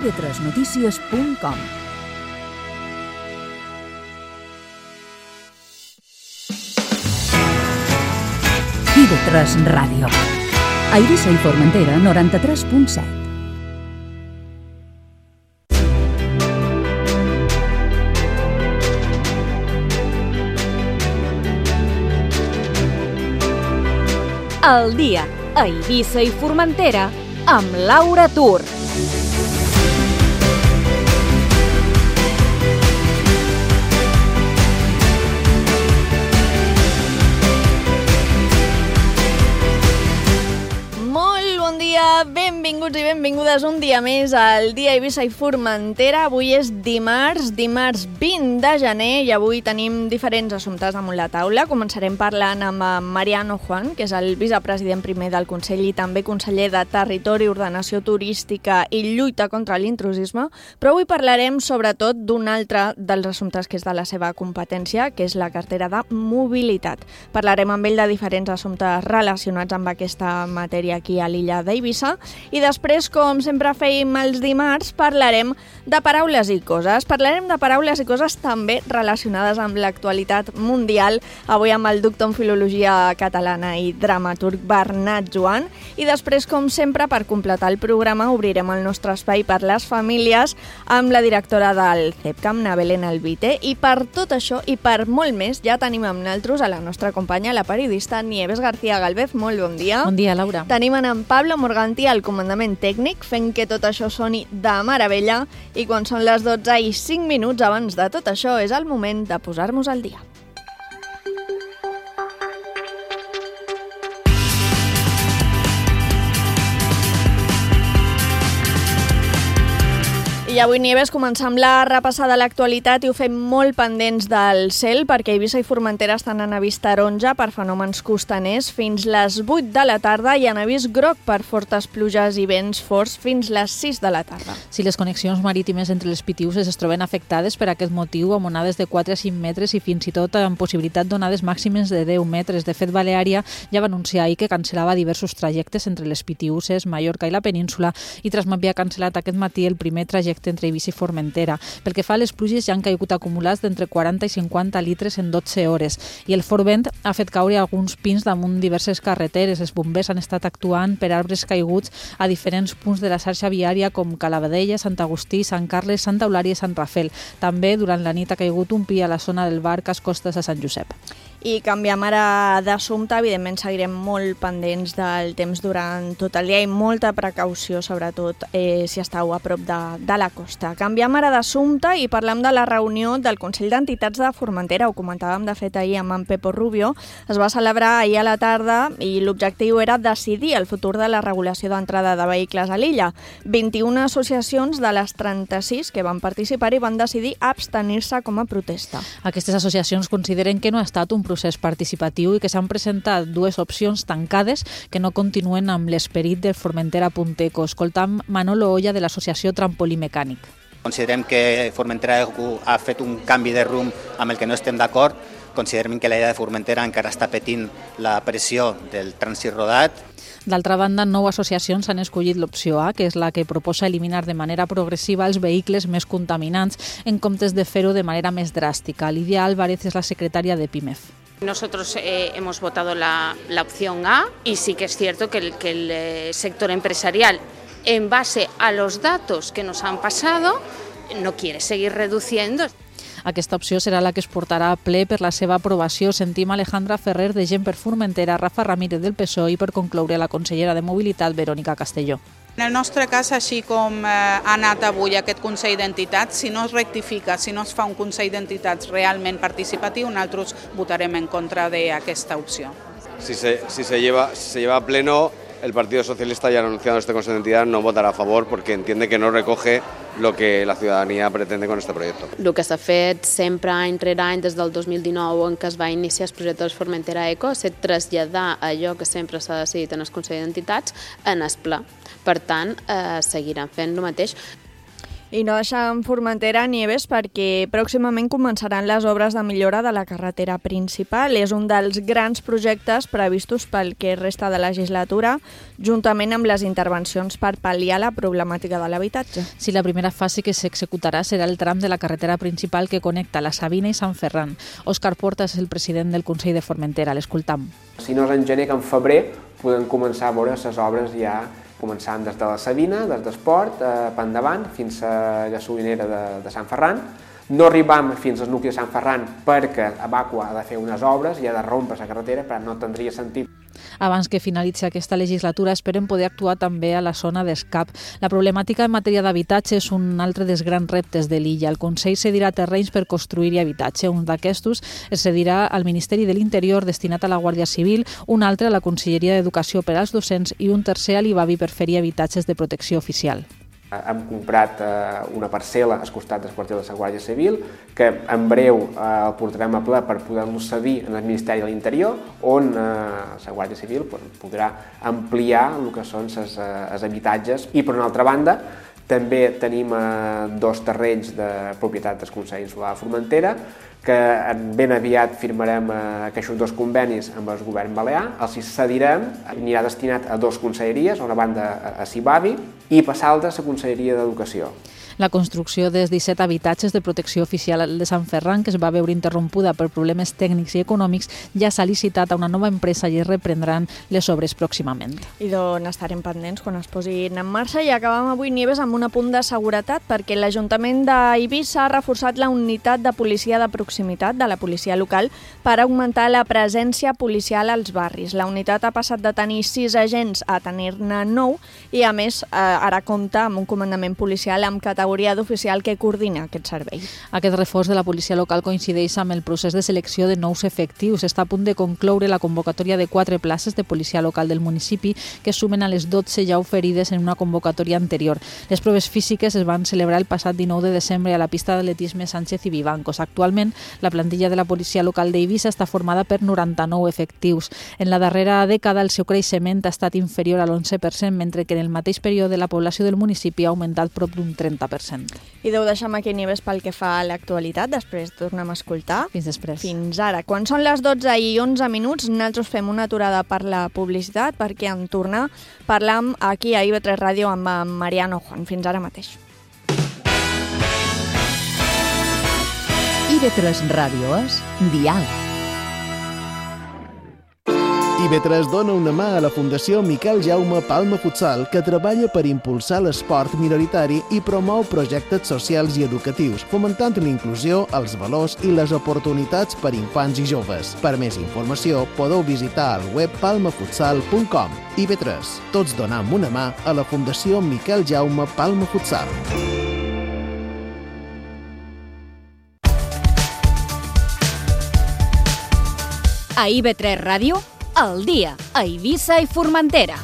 ib3notícies.com. IB3 Ràdio. A Eivissa i Formentera, 93.7. El dia a Eivissa i Formentera amb Laura Tur. Benvinguts i benvingudes un dia més al Dia Eivissa i Formentera. Avui és dimarts 20 de gener i avui tenim diferents assumptes damunt la taula. Començarem parlant amb Mariano Juan, que és el vicepresident primer del Consell i també conseller de Territori, Ordenació Turística i Lluita contra l'intrusisme, però avui parlarem sobretot d'un altre dels assumptes que és de la seva competència, que és la cartera de mobilitat. Parlarem amb ell de diferents assumptes relacionats amb aquesta matèria aquí a l'illa d'Eivissa. I després, com sempre fèiem els dimarts, parlarem de paraules i coses. Parlarem de paraules i coses també relacionades amb l'actualitat mundial, avui amb el doctor en Filologia Catalana i dramaturg Bernat Joan. I després, com sempre, per completar el programa, obrirem el nostre espai per les famílies amb la directora del CEPCAM, na Belén Albite. I per tot això i per molt més, ja tenim amb nosaltres a la nostra companya, la periodista Nieves García Galvez. Molt bon dia. Bon dia, Laura. Tenim en Pablo Morganti al comandament tècnic, fent que tot això soni de meravella, i quan són les 12 i 5 minuts abans de tot això és el moment de posar-nos al dia. I avui, Nieves, començam la repassada de l'actualitat i ho fem molt pendents del cel perquè Eivissa i Formentera estan en avís taronja per fenòmens costaners fins les 8 de la tarda i en avís groc per fortes pluges i vents forts fins les 6 de la tarda. Si les connexions marítimes entre les Pitiüses es troben afectades per aquest motiu amb onades de 4 a 5 metres i fins i tot amb possibilitat d'onades màximes de 10 metres. De fet, Baleària ja va anunciar ahir que cancel·lava diversos trajectes entre les Pitiüses, Mallorca i la península i Transmet havia cancel·lat aquest matí el primer trajecte entre Eivissa i Formentera. Pel que fa a les pluges, ja han caigut acumulats d'entre 40 i 50 litres en 12 hores i el fort vent ha fet caure alguns pins damunt diverses carreteres. Els bombers han estat actuant per arbres caiguts a diferents punts de la xarxa viària com Calavadella, Sant Agustí, Sant Carles, Santa Eulària i Sant Rafel. També durant la nit ha caigut un pi a la zona del Bar Costes a Sant Josep. I canviem ara d'assumpte, evidentment seguirem molt pendents del temps durant tot el dia i molta precaució, sobretot si estàu a prop de la costa. Canviem ara d'assumpte i parlem de la reunió del Consell d'Entitats de Formentera. Ho comentàvem de fet ahir amb en Pepo Rubio. Es va celebrar ahir a la tarda i l'objectiu era decidir el futur de la regulació d'entrada de vehicles a l'illa. 21 associacions de les 36 que van participar i van decidir abstenir-se com a protesta. Aquestes associacions consideren que no ha estat un procés participatiu i que s'han presentat dues opcions tancades que no continuen amb l'esperit del Formentera Punteco. Escoltam Manolo Olla de l'associació Trampolí Mecànic. Considerem que Formentera ha fet un canvi de rumb amb el que no estem d'acord. Considerem que la idea de Formentera encara està patint la pressió del trànsit rodat. D'altra banda, 9 associacions han escollit l'opció A, que és la que proposa eliminar de manera progressiva els vehicles més contaminants en comptes de fer-ho de manera més dràstica. Lidia Álvarez és la secretària de PIMEF. Nosotros hemos votado la opción A y sí que es cierto que el sector empresarial, en base a los datos que nos han pasado, no quiere seguir reduciendo. Aquesta opció serà la que es portarà a ple per la seva aprovació. Sentim Alejandra Ferrer de Gent per Formentera, Rafa Ramírez del PSOE i per concloure la consellera de Mobilitat, Verònica Castelló. En el nostre cas, així com ha anat avui aquest Consell d'Entitats, si no es rectifica, si no es fa un Consell d'Entitats realment participatiu, nosaltres votarem en contra d'aquesta opció. Si se lleva a pleno, el Partido Socialista ya ha anunciado este Consejo de Entidad no votará a favor porque entiende que no recoge lo que la ciudadanía pretende con este proyecto. El que s'ha fet sempre any rere any des del 2019 en què es va iniciar el projecte del Formentera Eco és traslladar allò que sempre s'ha decidit en el Consell d'Entitats en el Pla. Per tant, seguiran fent el mateix. I no deixem Formentera, Nieves, perquè pròximament començaran les obres de millora de la carretera principal. És un dels grans projectes previstos pel que resta de legislatura, juntament amb les intervencions per pal·liar la problemàtica de l'habitatge. Sí, la primera fase que s'executarà serà el tram de la carretera principal que connecta la Sabina i Sant Ferran. Òscar Porta és el president del Consell de Formentera. L'escoltam. Si no és en gener que en febrer podem començar a veure les obres ja començant des de la Sabina, des d'Esport, per endavant, fins a gasolinera de Sant Ferran. No arribam fins al nucli de Sant Ferran perquè Abaqua ha de fer unes obres i ha de rompre la carretera, però no tindria sentit. Abans que finalitzi aquesta legislatura, esperem poder actuar també a la zona d'Escap. La problemàtica en matèria d'habitatge és un altre dels grans reptes de l'illa. El Consell cedirà terrenys per construir-hi habitatge. Un d'aquestos es cedirà al Ministeri de l'Interior destinat a la Guàrdia Civil, un altre a la Conselleria d'Educació per als docents i un tercer a l'IBAVI per fer-hi habitatges de protecció oficial. Hem comprat una parcel·la al costat del quartel de la Guàrdia Civil, que en breu el portarem a ple per poder-lo cedir en el Ministeri de l'Interior, on la Guàrdia Civil podrà ampliar el que són els habitatges. I per una altra banda, també tenim dos terrenys de propietat del Consell Insular de Formentera, que ben aviat firmarem aquests dos convenis amb el govern balear, els cedirem, anirà destinat a dues conselleries, una banda a CIBAVI i passar a la Conselleria d'Educació. La construcció dels 17 habitatges de protecció oficial de Sant Ferran, que es va veure interrompuda per problemes tècnics i econòmics, ja s'ha licitat a una nova empresa i es reprendran les obres pròximament. I d'on estarem pendents quan es posin en marxa. I acabam avui, Nieves, amb un apunt de seguretat, perquè l'Ajuntament d'Eivissa ha reforçat la unitat de policia de proximitat de la policia local per augmentar la presència policial als barris. La unitat ha passat de tenir 6 agents a tenir-ne 9 i, a més, ara compta amb un comandament policial amb categoria d'oficial que coordina aquest servei. Aquest reforç de la policia local coincideix amb el procés de selecció de nous efectius. Està a punt de concloure la convocatòria de 4 places de policia local del municipi que sumen a les 12 ja oferides en una convocatòria anterior. Les proves físiques es van celebrar el passat 19 de desembre a la pista d'atletisme Sánchez i Vivancos. Actualment, la plantilla de la policia local d'Eivissa està formada per 99 efectius. En la darrera dècada el seu creixement ha estat inferior a l'11%, mentre que en el mateix període la població del municipi ha augmentat prop d'un 30%. I deu deixar aquí, Nieves, pel que fa a l'actualitat. Després tornem a escoltar. Fins després. Fins ara. Quan són les 12 i 11 minuts, nosaltres fem una aturada per la publicitat, perquè en tornar parlam aquí a IB3 Ràdio amb Mariano Juan. Fins ara mateix. IB3 Ràdio és Diàleg. IB3 dona una mà a la Fundació Miquel Jaume Palma Futsal, que treballa per impulsar l'esport minoritari i promou projectes socials i educatius, fomentant l'inclusió, els valors i les oportunitats per infants i joves. Per més informació, podeu visitar el web palmafutsal.com. IB3, tots donam una mà a la Fundació Miquel Jaume Palma Futsal. A IB3 Ràdio, al dia, a Eivissa i Formentera.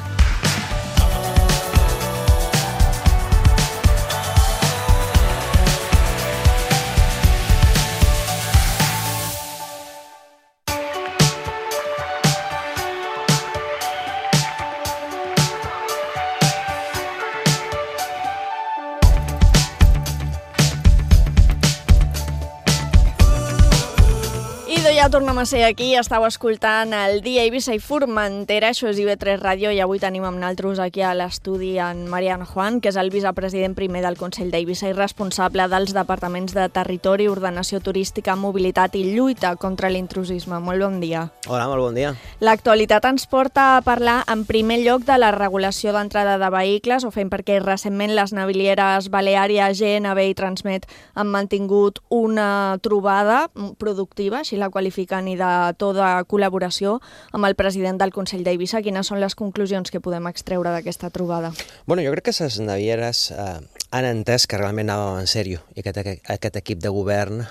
Ja tornem a ser aquí, estàu escoltant el dia Eivissa i Formentera, això és IB3 Ràdio, i avui tenim amb nosaltres aquí a l'estudi en Mariano Juan, que és el vicepresident primer del Consell d'Eivissa i responsable dels departaments de Territori, Ordenació Turística, Mobilitat i Lluita contra l'intrusisme. Molt bon dia. Hola, molt bon dia. L'actualitat ens porta a parlar en primer lloc de la regulació d'entrada de vehicles, ho fem perquè recentment les navilieres Baleària, GNB i Transmet han mantingut una trobada productiva, així la qualifiquen, i de tota col·laboració amb el president del Consell d'Eivissa. Quines són les conclusions que podem extreure d'aquesta trobada? Bueno, jo crec que les navieres han entès que realment anàvem en sèrio i que aquest equip de govern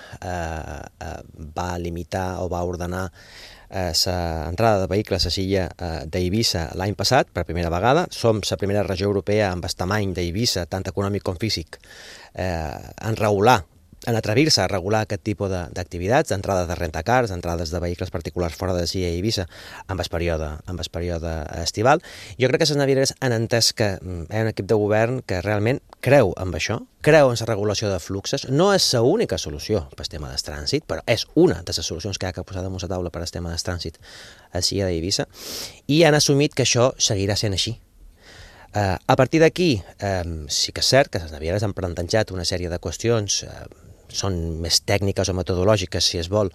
va limitar o va ordenar l'entrada de vehicles a l'illa d'Eivissa l'any passat, per primera vegada. Som la primera regió europea amb el tamany d'Eivissa, tant econòmic com físic, en regular en atrevir-se a regular aquest tipus d'activitats, d'entrades de rentacars, d'entrades de vehicles particulars fora de Silla i Eivissa amb el període estival. Jo crec que les navieres han entès que hi ha un equip de govern que realment creu en això, creu en la regulació de fluxos. No és l'única solució per al tema del trànsit, però és una de les solucions que hi ha que posar damunt la taula per al tema del trànsit a Silla d'Eivissa, i han assumit que això seguirà sent així. A partir d'aquí, sí que és cert que les navieres han plantejat una sèrie de qüestions, són més tècniques o metodològiques, si es vol,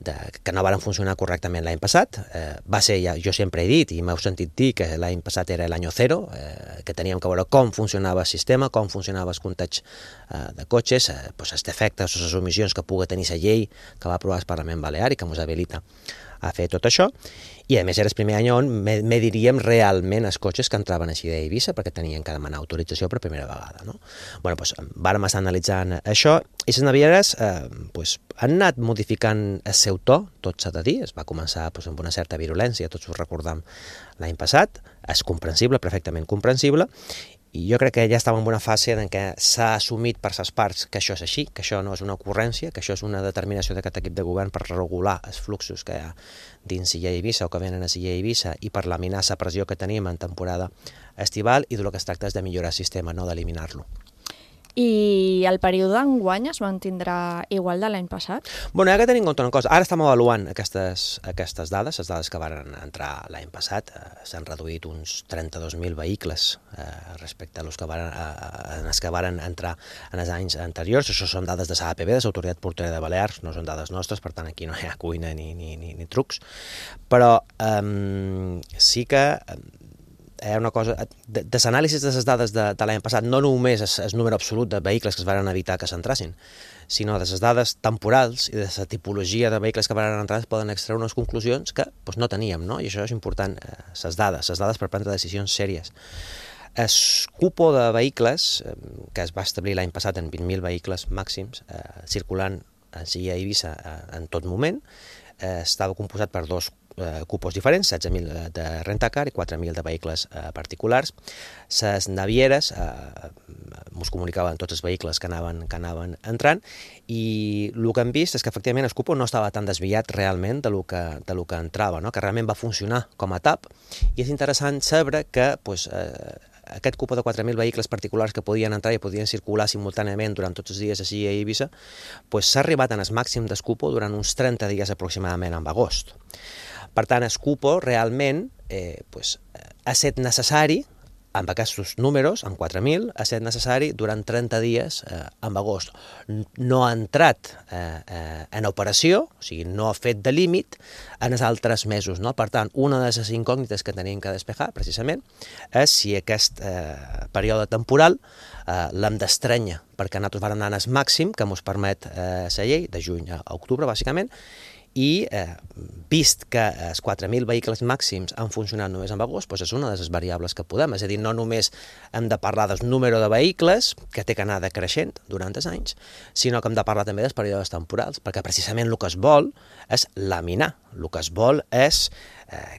que no van funcionar correctament l'any passat. Va ser, jo sempre he dit, i m'heu sentit dir, que l'any passat era l'any zero, que teníem que veure com funcionava el sistema, com funcionava el compteig de cotxes, els defectes o les omissions que pugui tenir la llei que va aprovar el Parlament Balear i que ens habilita a fer tot això. I a més era el primer any on mediríem realment els cotxes que entraven així d'Eivissa, perquè tenien que demanar autorització per primera vegada. Vàrem estar analitzant això, i les navieres han anat modificant el seu to, tot s'ha de dir. Es va començar amb una certa virulència, tots ho recordam l'any passat, és comprensible, perfectament comprensible, i jo crec que ja estava en una fase en què s'ha assumit per les parts que això és així, que això no és una ocurrència, que això és una determinació d'aquest equip de govern per regular els fluxos que hi ha dins Silla i Eivissa o que venen a Silla i Eivissa, i per laminar la pressió que tenim en temporada estival, i del que es tracta és de millorar el sistema, no d'eliminar-lo. I el període d'enguany es mantindrà igual de l'any passat? Hi ha que tenir en compte una cosa. Ara estem avaluant aquestes dades, les dades que van entrar l'any passat. S'han reduït uns 32.000 vehicles respecte a els que van entrar en els anys anteriors. Això són dades de l'APB, de l'Autoritat Portuària de Balears, no són dades nostres, per tant aquí no hi ha cuina ni trucs. Però sí que hi ha una cosa, de l'anàlisi de les dades de l'any passat, no només el número absolut de vehicles que es van evitar que s'entrassin, sinó de les dades temporals i de la tipologia de vehicles que van entrar, es poden extreure unes conclusions que no teníem, no? I això és important, les dades per prendre decisions sèries. El cupo de vehicles, que es va establir l'any passat en 20.000 vehicles màxims, circulant a Silla i Eivissa en tot moment, estava composat per dos cupos diferents, 16.000 de rentacar i 4.000 de vehicles particulars. Les navieres ens comunicaven tots els vehicles que anaven entrant, i el que hem vist és que efectivament el cupo no estava tan desviat realment de lo que entrava, que realment va funcionar com a TAP, i és interessant saber que aquest cupo de 4.000 vehicles particulars que podien entrar i podien circular simultàniament durant tots els dies a Silla i Eivissa, s'ha arribat en el màxim del cupo durant uns 30 dies aproximadament en agost. Per tant, el cupo realment ha estat necessari, amb aquests números, amb 4.000, ha estat necessari durant 30 dies en agost. No ha entrat en operació, o sigui, no ha fet de límit en els altres mesos. Per tant, una de les incògnites que tenim que despejar, precisament, és si aquest període temporal l'hem d'estrènyer, perquè nosaltres vam anar al màxim que ens permet la llei, de juny a octubre, bàsicament, i vist que els 4.000 vehicles màxims han funcionat només en agost, és una de les variables que podem. És a dir, no només hem de parlar del número de vehicles, que té que anar decreixent durant els anys, sinó que hem de parlar també dels períodes temporals, perquè precisament el que es vol és laminar. El que es vol és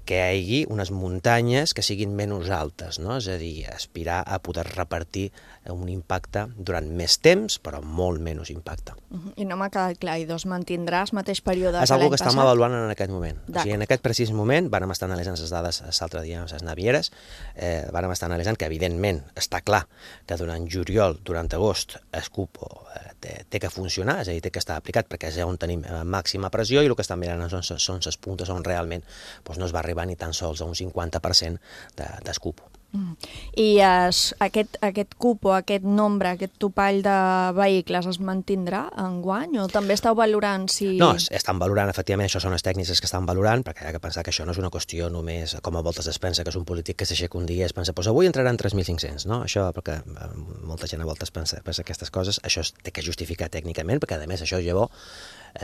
que hi hagi unes muntanyes que siguin menys altes, és a dir, aspirar a poder repartir un impacte durant més temps, però molt menys impacte. I no m'ha quedat clar, i mantindrà el mateix període que l'any passat? És una cosa que estem avaluant en aquest moment. O sigui, en aquest precís moment vam estar analitzant les dades l'altre dia amb les navieres, vam estar analitzant que, evidentment, està clar que durant juliol, durant agost, el cupo té que funcionar, és a dir, té que estar aplicat, perquè és on tenim màxima pressió, i el que estan mirant són les puntes on realment no es va arribar ni tan sols a un 50% del cupo. I aquest cupo, aquest nombre, aquest topall de vehicles es mantindrà enguany o també esteu valorant si... No, estan valorant, efectivament, això són les tècniques que estan valorant, perquè hi ha que pensar que això no és una qüestió només, com a voltes es pensa que és un polític que s'aixeca un dia i es pensa, avui entraran 3.500, no? Això, perquè molta gent a voltes pensa aquestes coses, això es té que justificar tècnicament, perquè a més això llavors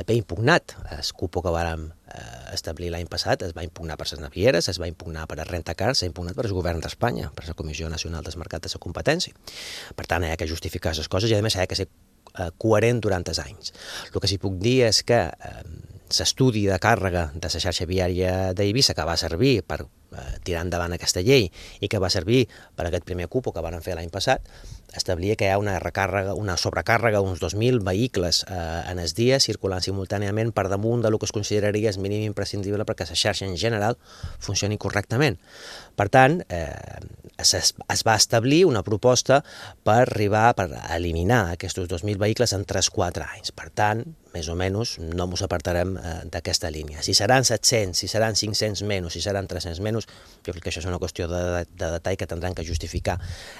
ve impugnat. El cupo que vàrem establir l'any passat es va impugnar per les navieres, es va impugnar per a rentacars, s'ha impugnat per el govern d'Espanya, per la Comissió Nacional del Mercat de la Competència. Per tant, hi ha que justificar les coses i a més hi ha que ser coherent durant els anys. El que sí puc dir és que l'estudi de càrrega de la xarxa viària d'Eivissa, que va servir per tirar endavant aquesta llei i que va servir per aquest primer cupo que van fer l'any passat, establia que hi ha una sobrecàrrega, uns 2.000 vehicles en el dia circulant simultàniament per damunt del que es consideraria el mínim imprescindible perquè la xarxa en general funcioni correctament. Per tant, es va establir una proposta per eliminar aquests 2.000 vehicles en 3-4 anys. Per tant, més o menys, no ens apartarem d'aquesta línia. Si seran 700, si seran 500 menys, si seran 300 menys, jo crec que això és una qüestió de detall que tindran que justificar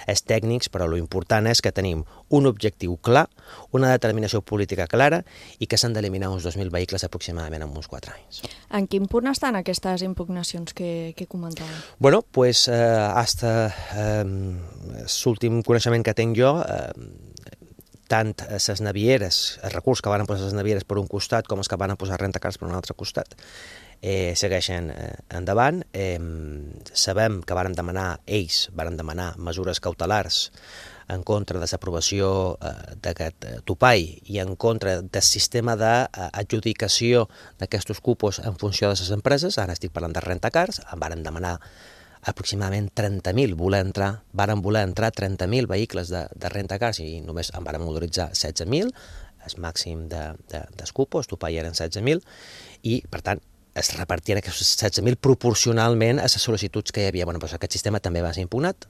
els tècnics, però l'important és que tenim un objectiu clar, una determinació política clara i que s'han d'eliminar uns 2.000 vehicles aproximadament en uns 4 anys. En quin punt estan aquestes impugnacions que comentàvem? Bueno, pues, hasta l'últim coneixement que tinc jo, tant les navieres, els recurs que van posar les navieres per un costat com els que van posar rentacars per un altre costat, segueixen endavant. Sabem que ells varen demanar mesures cautelars en contra de l'aprovació d'aquest topall i en contra del sistema d'adjudicació d'aquests cupos en funció de les empreses. Ara estic parlant de rentacars, em varen demanar aproximadament 30.000, varen voler entrar 30.000 vehicles de rentacars i només en varen autoritzar 16.000, el màxim dels cupos, topall eren 16.000, i per tant es repartien aquests 16.000 proporcionalment a les sol·licituds que hi havia. Bueno, doncs aquest sistema també va ser impugnat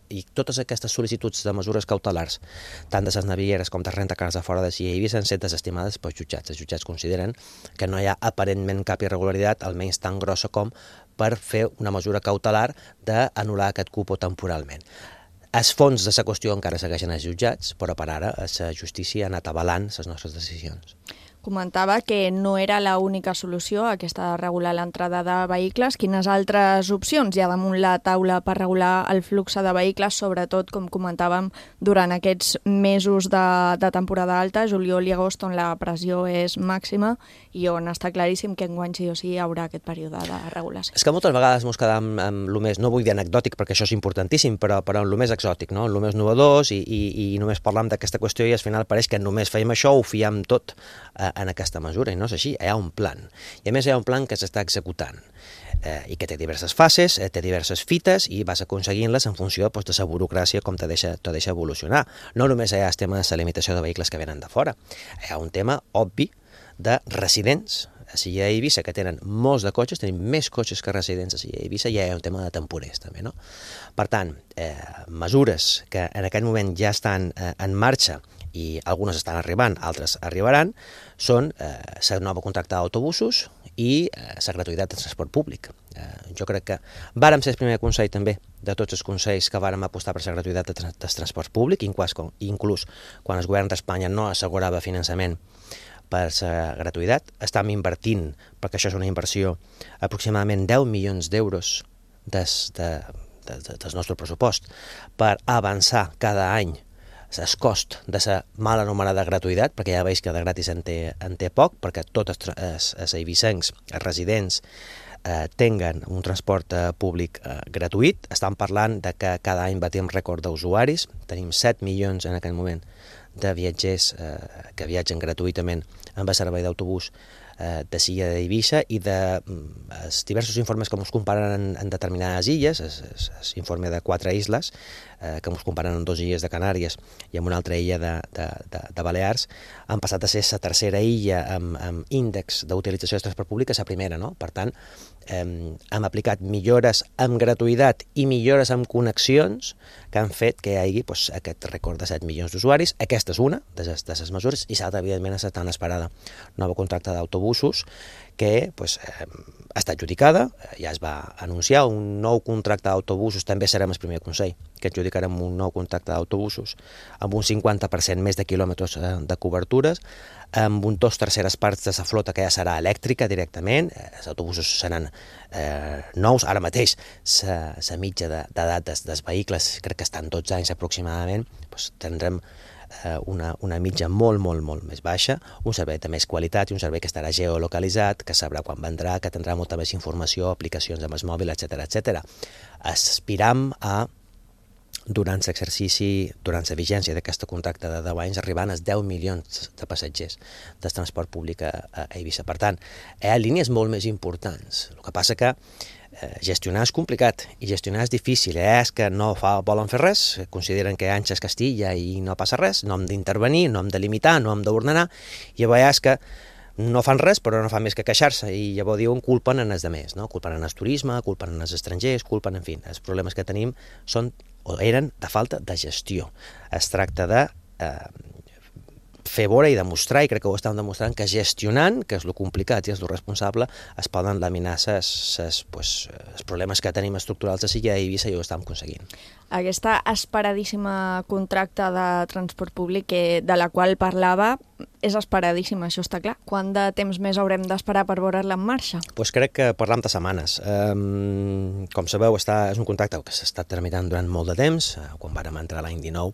i totes aquestes sol·licituds de mesures cautelars, tant de les navieres com de rentacars de fora de Cia i Eivissa, han estat desestimades pels jutjats. Els jutjats consideren que no hi ha aparentment cap irregularitat, almenys tan grossa com per fer una mesura cautelar d'anul·lar aquest cupo temporalment. Els fons de la qüestió encara segueixen als jutjats, però per ara la justícia ha anat avalant les nostres decisions. Comentava que no era l'única solució aquesta de regular l'entrada de vehicles. Quines altres opcions hi ha damunt la taula per regular el flux de vehicles, sobretot, com comentàvem, durant aquests mesos de temporada alta, juliol i agost, on la pressió és màxima i on està claríssim que enguany sí o sí hi haurà aquest període de regulació? És que moltes vegades ens quedam amb el més, no vull dir anecdòtic perquè això és importantíssim, però amb el més exòtic, no? El més novedós i només parlam d'aquesta qüestió i al final pareix que només fèiem això, ho fiem tot en aquesta mesura, i no és així. Hi ha un plan, i a més hi ha un plan que s'està executant i que té diverses fases, té diverses fites i vas aconseguint-les en funció de la burocràcia com te deixa evolucionar. No només hi ha el tema de la limitació de vehicles que venen de fora, hi ha un tema obvi de residents a Cia i Eivissa, que tenen molts de cotxes, tenim més cotxes que residents a Cia i Eivissa, i hi ha un tema de temporers també, no? Per tant, mesures que en aquest moment ja estan en marxa i algunes estan arribant, altres arribaran, són la nova contracte d'autobusos i la gratuïtat del transport públic. Jo crec que vàrem ser el primer consell també de tots els consells que vàrem apostar per la gratuïtat del transport públic, inclús quan el govern d'Espanya no assegurava finançament per la gratuïtat. Estem invertint, perquè això és una inversió, aproximadament 10 milions d'euros del nostre pressupost per avançar cada any el cost de la mal anomenada gratuïtat, perquè ja veus que de gratis en té poc, perquè tots els eivissencs, els residents, tinguen un transport públic gratuït. Estan parlant de que cada any batim rècord d'usuaris, tenim 7 milions en aquest moment de viatgers que viatgen gratuïtament amb el servei d'autobús de Cia i Eivissa, i dels diversos informes que ens comparen en determinades illes, l'informe de 4 isles, que ens comparen en 2 illes de Canàries i en una altra illa de Balears, han passat a ser la tercera illa amb índex d'utilització de transport públic, la primera, no? Per tant, hem aplicat millores amb gratuïtat i millores amb connexions que han fet que hi hagi aquest rècord de 7 milions d'usuaris. Aquesta és una de les mesures, i l'altra, evidentment, és la tan esperada nova contracte d'autobusos que està adjudicada, ja es va anunciar un nou contracte d'autobusos, també serem el primer consell que adjudicarem un nou contracte d'autobusos amb un 50% més de quilòmetres de cobertures, amb un 2/3 parts de la flota que ja serà elèctrica directament. Els autobusos seran nous. Ara mateix la mitja d'edat dels vehicles crec que està en 12 anys aproximadament. Tindrem una mitja molt més baixa, un servei de més qualitat i un servei que estarà geolocalitzat, que sabrà quan vendrà, que tindrà molta més informació, aplicacions amb el mòbil, etc. Aspiram a, durant l'exercici, durant la vigència d'aquest contracte de 10 anys, arribant als 10 milions de passatgers del transport públic a Eivissa. Per tant, hi ha línies molt més importants. El que passa que gestionar és complicat i gestionar és difícil. És que no volen fer res, consideren que Anxa és Castilla i no passa res, no hem d'intervenir, no hem de limitar, no hem d'ordenar, i llavors és que no fan res, però no fan més que queixar-se, i llavors diuen culpen en els demés, no? Culpen en el turisme, culpen en els estrangers, culpen, en fi, els problemes que tenim són o eren de falta de gestió. Es tracta de fer veure i demostrar, i crec que ho estan demostrant, que gestionant, que és lo complicat i és lo responsable, es poden laminar els problemes que tenim estructurals a Silla i Eivissa, i ho estem aconseguint. Aquesta esperadíssima contracte de transport públic de la qual parlava és esperadíssima, això està clar. Quant de temps més haurem d'esperar per veure-la en marxa? Pues crec que parlam de setmanes. Com sabeu, és un contracte que s'ha estat tramitant durant molt de temps. Quan vàrem entrar l'any 19,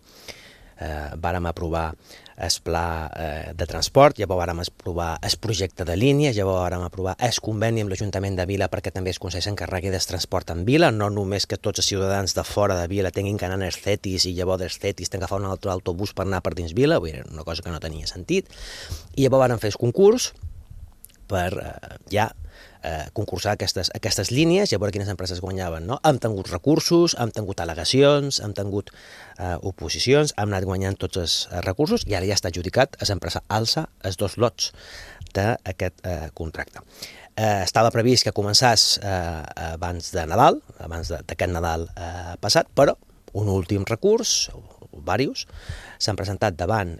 vàrem aprovar el pla de transport, llavors vàrem aprovar el projecte de línia, llavors vàrem aprovar el conveni amb l'Ajuntament de Vila perquè també el Consell s'encarregui del transport en Vila, no només que tots els ciutadans de fora de Vila tinguin que anar als CETIs i llavors dels CETIs tinguin que agafar un altre autobús per anar per dins Vila, vull dir, una cosa que no tenia sentit. I llavors vàrem fer el concurs per concursar aquestes línies i a veure quines empreses guanyaven. No? Hem tingut recursos, hem tingut al·legacions, hem tingut oposicions, hem anat guanyant tots els recursos i ara ja està adjudicat a l'empresa Alsa els 2 lots d'aquest contracte. Estava previst que començés abans de Nadal, abans d'aquest Nadal passat, però un últim recurs, diversos, s'han presentat davant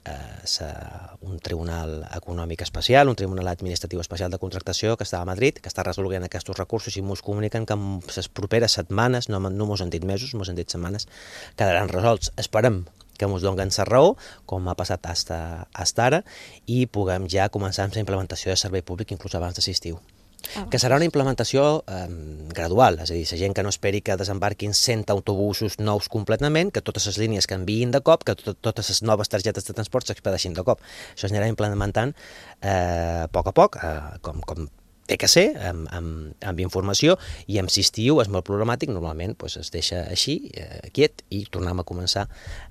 un tribunal econòmic especial, un tribunal administratiu especial de contractació que està a Madrid, que està resolent aquests recursos i ens comuniquen que en les properes setmanes, no mos han dit mesos, mos han dit setmanes, quedaran resolts. Esperem que ens donen la raó, com ha passat fins ara, i puguem ja començar amb la implementació de servei públic inclús abans d'estiu. Que serà una implementació gradual, és a dir, la gent que no esperi que desembarquin 100 autobusos nous completament, que totes les línies canviïn de cop, que totes les noves targetes de transport s'expedeixin de cop. Això s'anirà implementant a poc, com té que ser, amb informació, i amb l'estiu és molt problemàtic, normalment es deixa així, quiet, i tornem a començar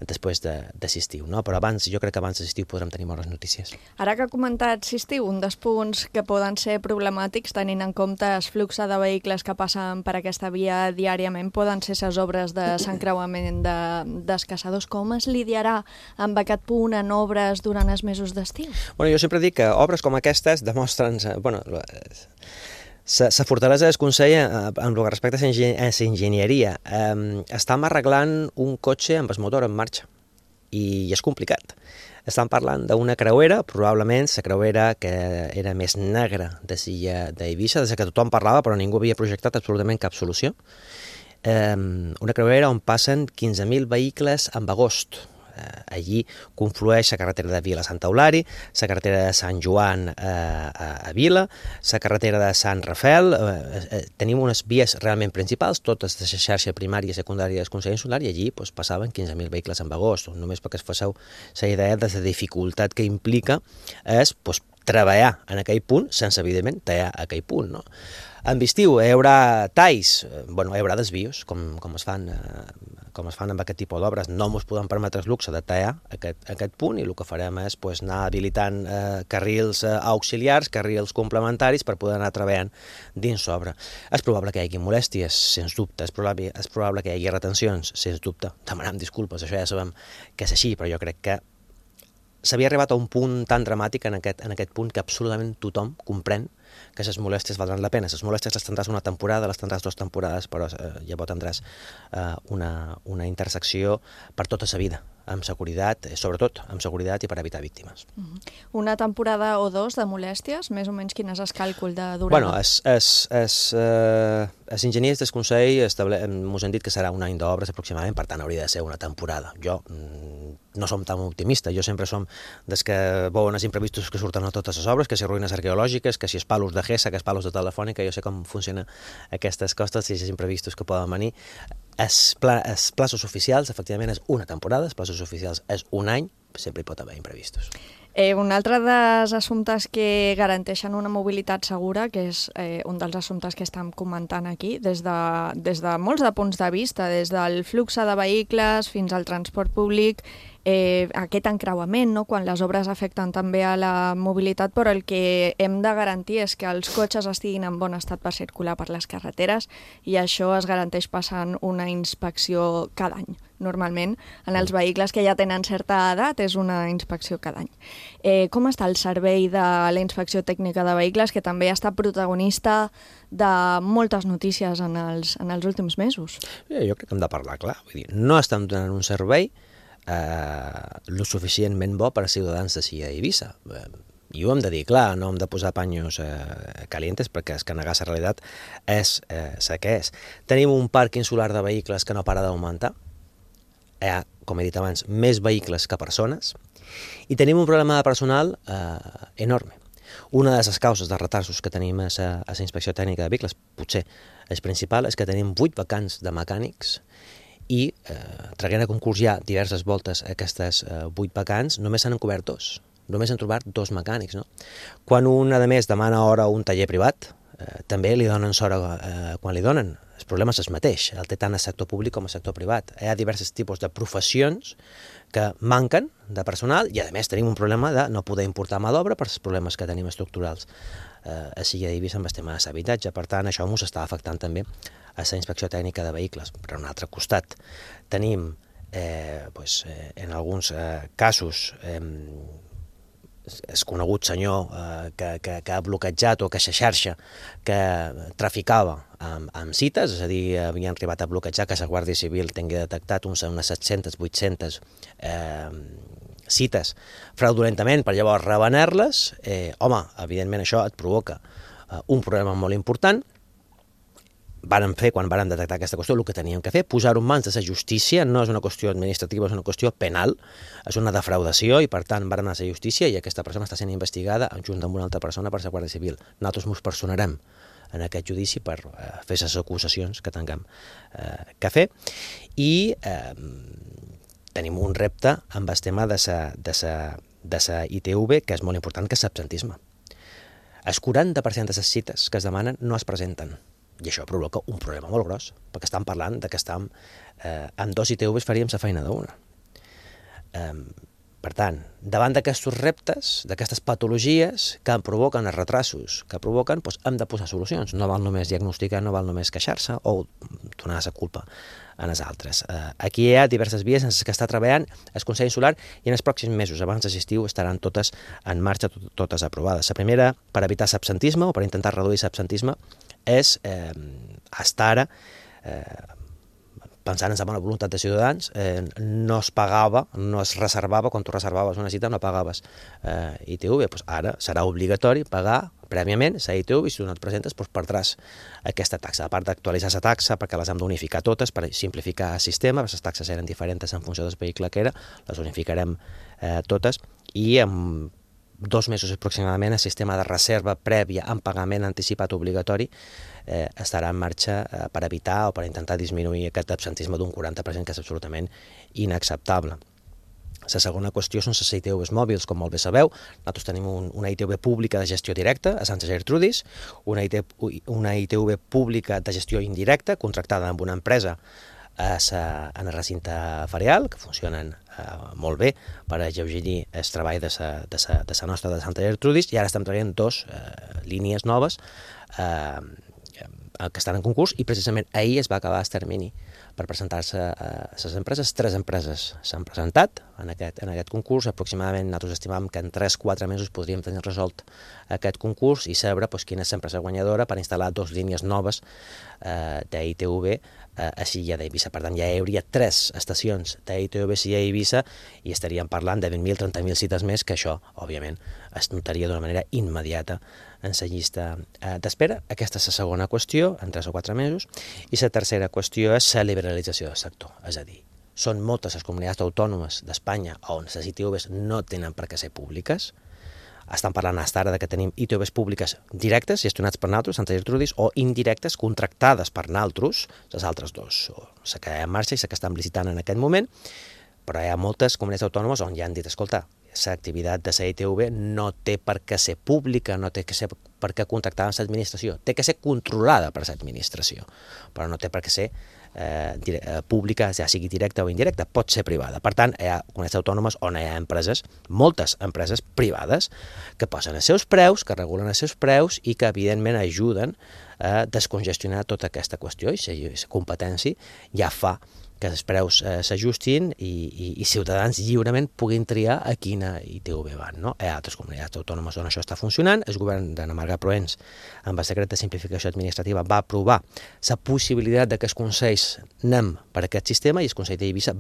després de l'estiu. Però jo crec que abans de l'estiu podrem tenir bones notícies. Ara que ha comentat l'estiu, un dels punts que poden ser problemàtics, tenint en compte el flux de vehicles que passen per aquesta via diàriament, poden ser les obres de s'encreuament dels caçadors. Com es lidiarà amb aquest punt en obres durant els mesos d'estiu? Jo sempre dic que obres com aquestes demostren... La fortalesa del Consell amb el respecte a la enginyeria. Estem arreglant un cotxe amb el motor en marxa i és complicat. Estem parlant d'una creuera, probablement la creuera que era més negra de Silla d'Eivissa, des que tothom parlava però ningú havia projectat absolutament cap solució. Una creuera on passen 15.000 vehicles en agost. Allí conflueix la carretera de Vila a Sant Eulari, la carretera de Sant Joan a Vila, la carretera de Sant Rafel. Tenim unes vies realment principals, totes de la xarxa primària i secundària del Consell Insular, i allí passaven 15.000 vehicles en agost. Només perquè es faceu la idea de la dificultat que implica és treballar en aquell punt sense, evidentment, tallar aquell punt. No? En estiu hi haurà talls, hi haurà desvios, com es fan amb aquest tipus d'obres. No ens podem permetre el luxe de tallar aquest punt, i el que farem és anar habilitant carrils auxiliars, carrils complementaris per poder anar treballant dins l'obra. És probable que hi hagi molèsties, sens dubte, és probable que hi hagi retencions, sens dubte. Demanem disculpes, això ja sabem que és així, però jo crec que s'havia arribat a un punt tan dramàtic en aquest punt que absolutament tothom comprèn que les molèsties valdran la pena. Les molèsties les tindràs una temporada, les tindràs 2 temporades, però llavors tindràs una intersecció per tota la vida, amb seguretat, sobretot amb seguretat i per evitar víctimes. Una temporada o 2 de molèsties? Més o menys quin és el càlcul de durada? Els enginyers del Consell ens han dit que serà un any d'obres aproximadament, per tant hauria de ser una temporada. Jo no som tan optimista, jo sempre som des que veuen els imprevistos que surten a totes les obres, que si ruïnes arqueològiques, que si els palos de GESA, que els palos de Telefònica, jo sé com funcionen aquestes costes i els imprevistos que poden venir. Els plaços oficials, efectivament, és una temporada, els plaços oficials és un any, sempre hi pot haver imprevistos. Un altre dels assumptes que garanteixen una mobilitat segura, que és un dels assumptes que estem comentant aquí, des de molts de punts de vista, des del flux de vehicles fins al transport públic, aquest encreuament, no? Quan les obres afecten també a la mobilitat, però el que hem de garantir és que els cotxes estiguin en bon estat per circular per les carreteres i això es garanteix passant una inspecció cada any. Normalment, en els vehicles que ja tenen certa edat, és una inspecció cada any. Com està el servei de la inspecció tècnica de vehicles, que també ha estat protagonista de moltes notícies en els últims mesos? Jo crec que hem de parlar clar. Vull dir, no estem donant un servei lo suficientment bo per a ciutadans de Silla i Eivissa. I ho hem de dir clar, no hem de posar paños calientes, perquè és que negar la realitat és la que és. Tenim un parc insular de vehicles que no para d'augmentar. Hi ha, com he dit abans, més vehicles que persones, i tenim un problema de personal enorme. Una de les causes de retarsos que tenim a la inspecció tècnica de vehicles, potser el principal, és que tenim 8 vacants de mecànics i, traient a concurs ja diverses voltes aquestes 8 vacants, només s'han cobert 2. Només han trobat 2 mecànics. No? Quan un, a més, demana hora a un taller privat, també li donen hora quan li donen. El problema és el mateix, el té tant el sector públic com el sector privat. Hi ha diversos tipus de professions que manquen de personal i, a més, tenim un problema de no poder importar mà d'obra per als problemes que tenim estructurals a Silla d'Eivissa amb el tema de l'habitatge. Per tant, això ens està afectant també a la inspecció tècnica de vehicles. Per un altre costat, tenim, en alguns casos, el conegut senyor que ha bloquejat o que la xarxa que traficava amb cites, és a dir, havien arribat a bloquejar que la Guàrdia Civil tingui detectat unes 700-800 cites fraudulentament per llavors revenar-les. Home, evidentment això et provoca un problema molt important. Vàrem fer, quan vàrem detectar aquesta qüestió, el que teníem que fer, posar-ho en mans de la justícia, no és una qüestió administrativa, és una qüestió penal, és una defraudació i, per tant, vàrem anar a la justícia i aquesta persona està sent investigada junt amb una altra persona per la Guàrdia Civil. Nosaltres ens personarem en aquest judici per fer les acusacions que tinguem que fer i tenim un repte amb el tema de la ITV, que és molt important, que és l'absentisme. El 40% de les cites que es demanen no es presenten. I això provoca un problema molt gros, perquè estem parlant que amb 2 ITVs faríem la feina d'una. Per tant, davant d'aquests reptes, d'aquestes patologies que provoquen els retrasos, que provoquen, hem de posar solucions. No val només diagnosticar, no val només queixar-se o donar la culpa a les altres. Aquí hi ha diverses vies en les que està treballant el Consell Insular i en els pròxims mesos, abans de l'estiu, estaran totes en marxa, totes aprovades. La primera, per evitar l'absentisme o per intentar reduir l'absentisme, és estar ara, pensant en la bona voluntat de ciutadans, no es pagava, no es reservava, quan tu reservaves una cita no pagaves ITV, ara serà obligatori pagar prèviament la ITV i si tu no et presentes perdràs aquesta taxa. A part d'actualitzar la taxa, perquè les hem d'unificar totes per simplificar el sistema, les taxes eren diferents en funció del vehicle que era, les unificarem totes i amb 2 mesos aproximadament el sistema de reserva prèvia amb pagament anticipat obligatori estarà en marxa per evitar o per intentar disminuir aquest absentisme d'un 40% que és absolutament inacceptable. La segona qüestió són les ITVs mòbils, com molt bé sabeu. Nosaltres tenim una ITV pública de gestió directa a Santa Gertrudis, una ITV pública de gestió indirecta contractada amb una empresa en el recinte ferial, que funcionen molt bé per alleugerir el treball de la nostra de Santa Gertrudis, i ara estem treballant 2 línies noves que estan en concurs i precisament ahir es va acabar el termini per presentar-se a les empreses. 3 empreses s'han presentat en aquest concurs. Aproximadament nosaltres estimam que en 3-4 mesos podríem tenir resolt aquest concurs i saber quina és l'empresa guanyadora per instal·lar 2 línies noves d'ITV a Silla d'Eivissa. Per tant, ja hi hauria 3 estacions d'ITV a Silla d'Eivissa i estaríem parlant de 20.000-30.000 cites més, que això, òbviament, es notaria d'una manera immediata en la llista d'espera. Aquesta és la segona qüestió, en 3 o 4 mesos. I la tercera qüestió és la liberalització del sector. És a dir, són moltes les comunitats autònomes d'Espanya on les ITVs no tenen per què ser públiques. Estan parlant fins ara que tenim ITVs públiques directes, gestionats per nosaltres, Santa Gertrudis, o indirectes, contractades per nosaltres, les altres 2, la que hi ha en marxa i la que estan licitant en aquest moment, però hi ha moltes comunitats autònomes on ja han dit, escolta, l'activitat de la ITV no té per què ser pública, no té per què contractar amb l'administració, té que ser controlada per l'administració, però no té per què ser pública, ja sigui directa o indirecta, pot ser privada. Per tant, hi ha comunitats autònomes on hi ha empreses, moltes empreses privades, que posen els seus preus, que regulen els seus preus i que, evidentment, ajuden a descongestionar tota aquesta qüestió i la competència ja fa que els preus s'ajustin i ciutadans lliurement puguin triar a quina ITV van. No? Hi ha altres comunitats autònomes on això està funcionant. El govern d'Anna Marga Proens, amb el decret de simplificació administrativa, va aprovar la possibilitat que els consells anem per aquest sistema i el Consell d'Eivissa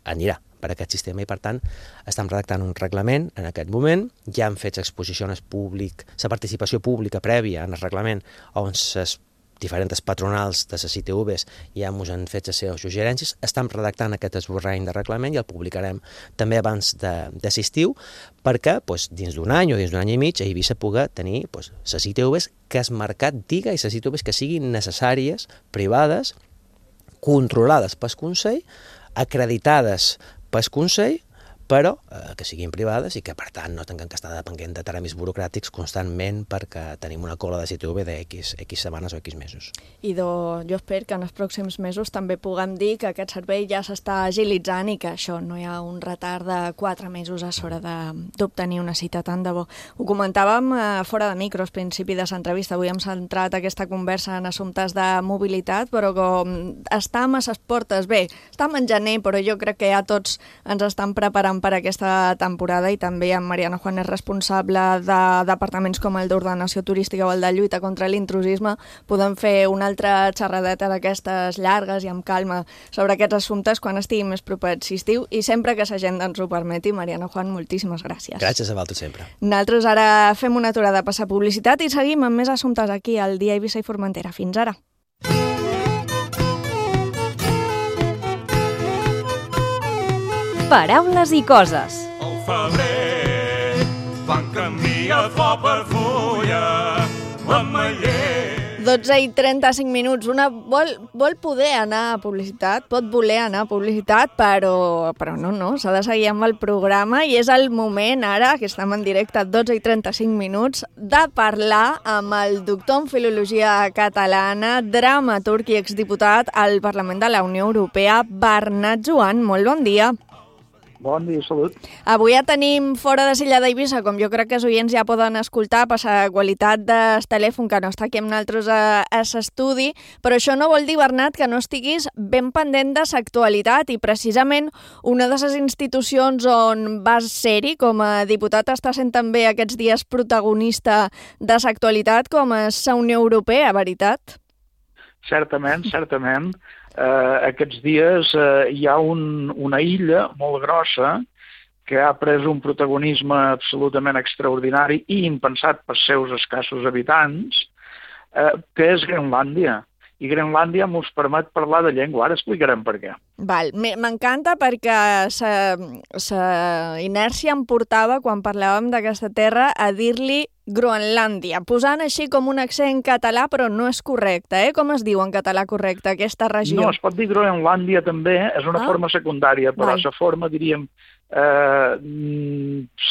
anirà per aquest sistema i, per tant, estem redactant un reglament en aquest moment. Ja han fet exposicions públiques, la participació pública prèvia en el reglament on les diferents patronals de les ITVs ja ens han fet les seves suggerències. Estem redactant aquest esborrany de reglament i el publicarem també abans de l'estiu perquè dins d'un any o dins d'un any i mig a Eivissa pugui tenir les ITVs que el mercat diga i les ITVs que siguin necessàries, privades, controlades pel Consell, acreditades pel Consell, però que siguin privades i que, per tant, no tinguem que estar depenent de tràmits burocràtics constantment perquè tenim una cola de ITV d'X setmanes o X mesos. I jo espero que en els pròxims mesos també puguem dir que aquest servei ja s'està agilitzant i que això no hi ha un retard de 4 mesos a l'hora d'obtenir una cita tant de bo. Ho comentàvem fora de micros, al principi de l'entrevista. Avui hem centrat aquesta conversa en assumptes de mobilitat, però com estem a les portes, bé, estem en gener, però jo crec que ja tots ens estan preparant per aquesta temporada i també en Mariano Juan és responsable de departaments com el d'ordenació turística o el de lluita contra l'intrusisme. Podem fer una altra xerradeta d'aquestes llargues i amb calma sobre aquests assumptes quan estigui més proper a l'estiu i sempre que l'agenda ens ho permeti. Mariano Juan, moltíssimes gràcies. Gràcies a vosaltres sempre. Nosaltres ara fem una aturada a passar publicitat i seguim amb més assumptes aquí al Dia Eivissa i Formentera. Fins ara. Paraules i coses. Al febrer van canviar flor per fulla, l'ametller. 12:35 minuts. Una vol poder anar a publicitat, pot voler anar a publicitat, però no, s'ha de seguir amb el programa i és el moment ara, que estem en directe a 12:35 minuts, de parlar amb el doctor en Filologia Catalana, dramaturg i exdiputat al Parlament de la Unió Europea, Bernat Joan. Molt bon dia. Bon dia, salut. Avui ja tenim fora de Silla d'Eivissa, com jo crec que els oients ja poden escoltar per la qualitat del telèfon que no està aquí amb nosaltres a l'estudi, però això no vol dir, Bernat, que no estiguis ben pendent de l'actualitat i precisament una de les institucions on vas ser-hi com a diputat està sent també aquests dies protagonista de l'actualitat com és la Unió Europea, veritat? Certament. Aquests dies hi ha una illa molt grossa que ha pres un protagonisme absolutament extraordinari i impensat pels seus escassos habitants, que és Grenlàndia. I Grenlàndia ens permet parlar de llengua. Ara explicarem per què. Val, m'encanta perquè la inèrcia em portava, quan parlàvem d'aquesta terra, a dir-li Groenlàndia, posant així com un accent català, però no és correcte, eh? Com es diu en català correcte, aquesta regió? No, es pot dir Groenlàndia també, és una forma secundària, però la forma, diríem,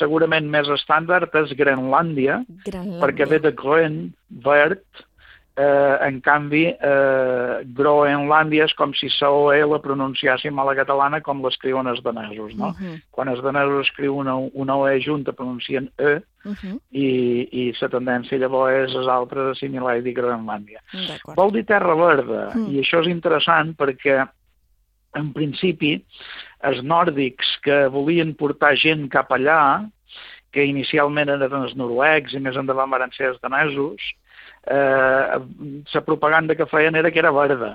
segurament més estàndard és Grenlàndia, perquè ve de Groen, verd. En canvi, Groenlàndia és com si la OE la pronunciàssim a la catalana com l'escriuen els danesos, no? Quan els danesos escriuen una OE junta pronuncien E, i la tendència llavors és els altres assimilar i dir Groenlàndia. Vol dir terra verda, i això és interessant perquè, en principi, els nòrdics que volien portar gent cap allà, que inicialment eren els noruecs i més endavant van ser els danesos, la propaganda que feien era que era verda,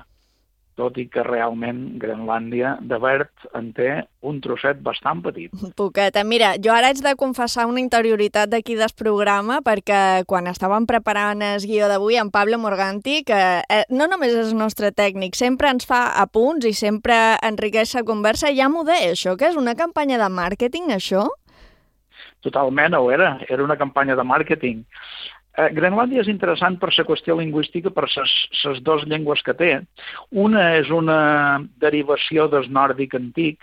tot i que realment Grenlàndia de verd en té un trosset bastant petit. Poqueta. Mira, jo ara haig de confessar una interioritat d'aquí del programa, perquè quan estàvem preparant el guió d'avui, en Pablo Morganti, que no només és el nostre tècnic, sempre ens fa apunts i sempre enriqueix la conversa, ja m'ho deia això, que és una campanya de màrqueting, això? Totalment, ho era una campanya de màrqueting. Grenlàndia és interessant per la qüestió lingüística, per les dues llengües que té. Una és una derivació del nòrdic antic,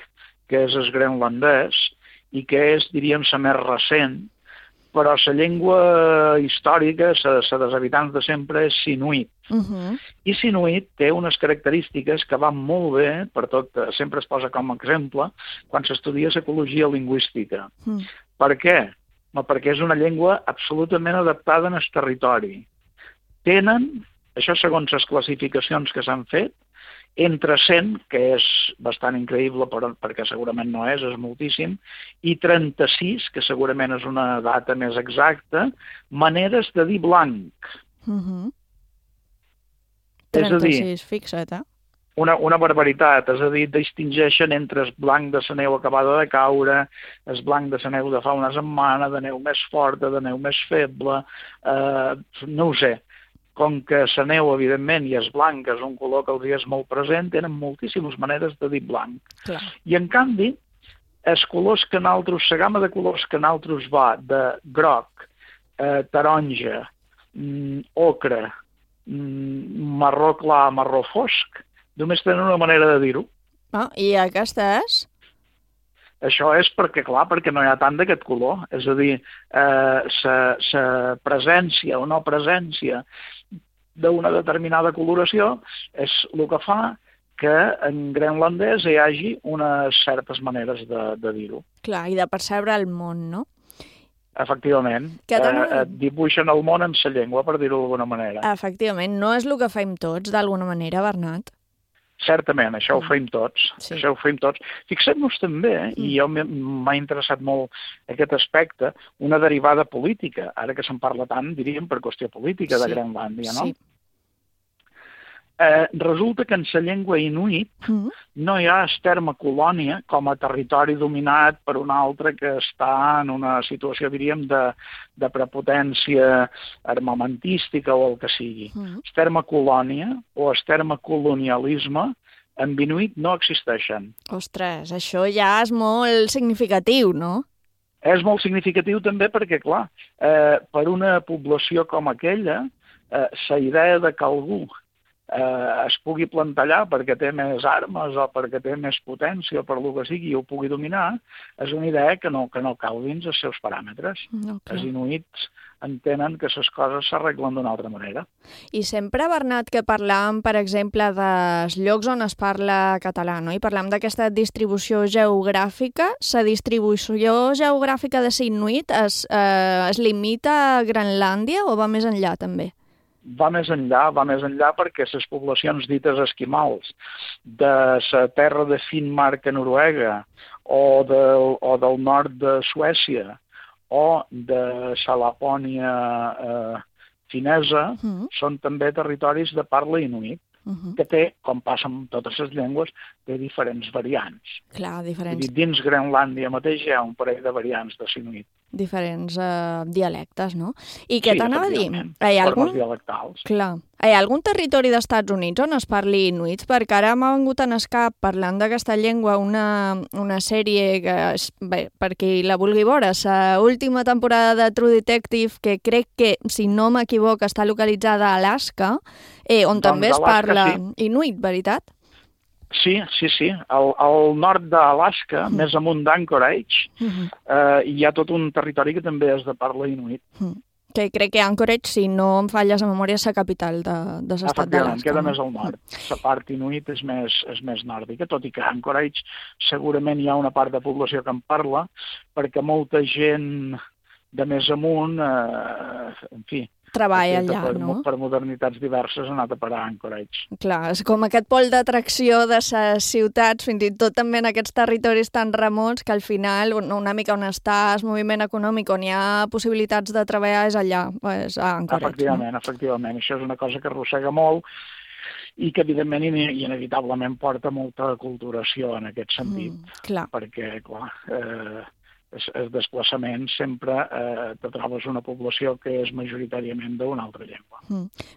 que és el grenlandès, i que és, diríem, la més recent, però la llengua històrica, la dels habitants de sempre, és inuit. I Sinuit té unes característiques que van molt bé, per tot, sempre es posa com a exemple, quan s'estudia ecologia lingüística. Per què? Perquè és una llengua absolutament adaptada en el territori. Tenen, això segons les classificacions que s'han fet, entre 100, que és bastant increïble perquè segurament no és moltíssim, i 36, que segurament és una data més exacta, maneres de dir blanc. 36, fixa't, eh? Una barbaritat, és a dir, distingeixen entre el blanc de la neu acabada de caure, el blanc de la neu de fa una setmana, de neu més forta, de neu més feble, no ho sé. Com que la neu, evidentment, i és blanc, és un color que els és molt present, tenen moltíssimes maneres de dir blanc. Clar. I, en canvi, els colors que nosaltres, la gamma de colors que nosaltres va de groc, taronja, ocre, marró clar, marró fosc, només tenen una manera de dir-ho. I aquesta és? Això és perquè, clar, perquè no hi ha tant d'aquest color. És a dir, la presència o no presència d'una determinada coloració és el que fa que en grenlandès hi hagi unes certes maneres de dir-ho. Clar, i de percebre el món, no? Efectivament. Dibuixen el món en la llengua, per dir-ho d'alguna manera. Efectivament. No és el que fem tots, d'alguna manera, Bernat? Certament, això ho fem tots. Sí. Això ho fem tots. Fixem-nos també, i jo m'ha interessat molt aquest aspecte, una derivada política, ara que se'n parla tant, diríem, per qüestió política de Grenlàndia, no? Sí. Resulta que en la llengua inuit no hi ha el terme colònia com a territori dominat per un altre que està en una situació, diríem, de prepotència armamentística o el que sigui. El terme colònia o el terme colonialisme en inuit no existeixen. Ostres, això ja és molt significatiu, no? És molt significatiu també perquè, clar, per una població com aquella, la idea de que algú es pugui plantar allà perquè té més armes o perquè té més potència o per el que sigui i ho pugui dominar, és una idea que no cau dins els seus paràmetres. Els inuits entenen que les coses s'arreglen d'una altra manera. I sempre, Bernat, que parlàvem, per exemple, dels llocs on es parla català, no? I parlàvem d'aquesta distribució geogràfica. La distribució geogràfica de l'Inuit es limita a Grenlàndia o va més enllà, també? Va més enllà perquè les poblacions dites esquimals de la terra de Finnmark a Noruega o del nord de Suècia o de la Lapònia finesa són també territoris de parla inuit, que té, com passa amb totes les llengües, té diferents variants. Clar, diferents. Dins Grenlàndia mateix hi ha un parell de variants de sinuit. Diferents dialectes, no? I què t'anava a dir? Formes dialectals. Clar. Hi ha algun territori dels Estats Units on es parli inuit? Perquè ara m'ha vengut en el cap, parlant d'aquesta llengua, una sèrie que, per qui la vulgui veure, l'última temporada de True Detective, que crec que, si no m'equivoco, està localitzada a Alaska, on també es parla inuit, veritat? Sí. Al nord d'Alaska, més amunt d'Anchorage, hi ha tot un territori que també és de parla inuit. Que crec que Anchorage, si no em falles a memòria, és la capital de l'estat d'Alaska. Queda més al nord. La part inuit és més nòrdica, tot i que a Anchorage segurament hi ha una part de població que en parla, perquè molta gent de més amunt, en fi, treballa allà, no? Per modernitats diverses ha anat a parar a Anchorage. Clar, és com aquest pol d'atracció de les ciutats, fins i tot també en aquests territoris tan remots, que al final una mica on està el moviment econòmic, on hi ha possibilitats de treballar, és allà, és a Anchorage. Efectivament. Això és una cosa que arrossega molt i que, evidentment, i inevitablement porta molta aculturació en aquest sentit. Clar. Perquè, clar, el desplaçament sempre te trobes una població que és majoritàriament d'una altra llengua.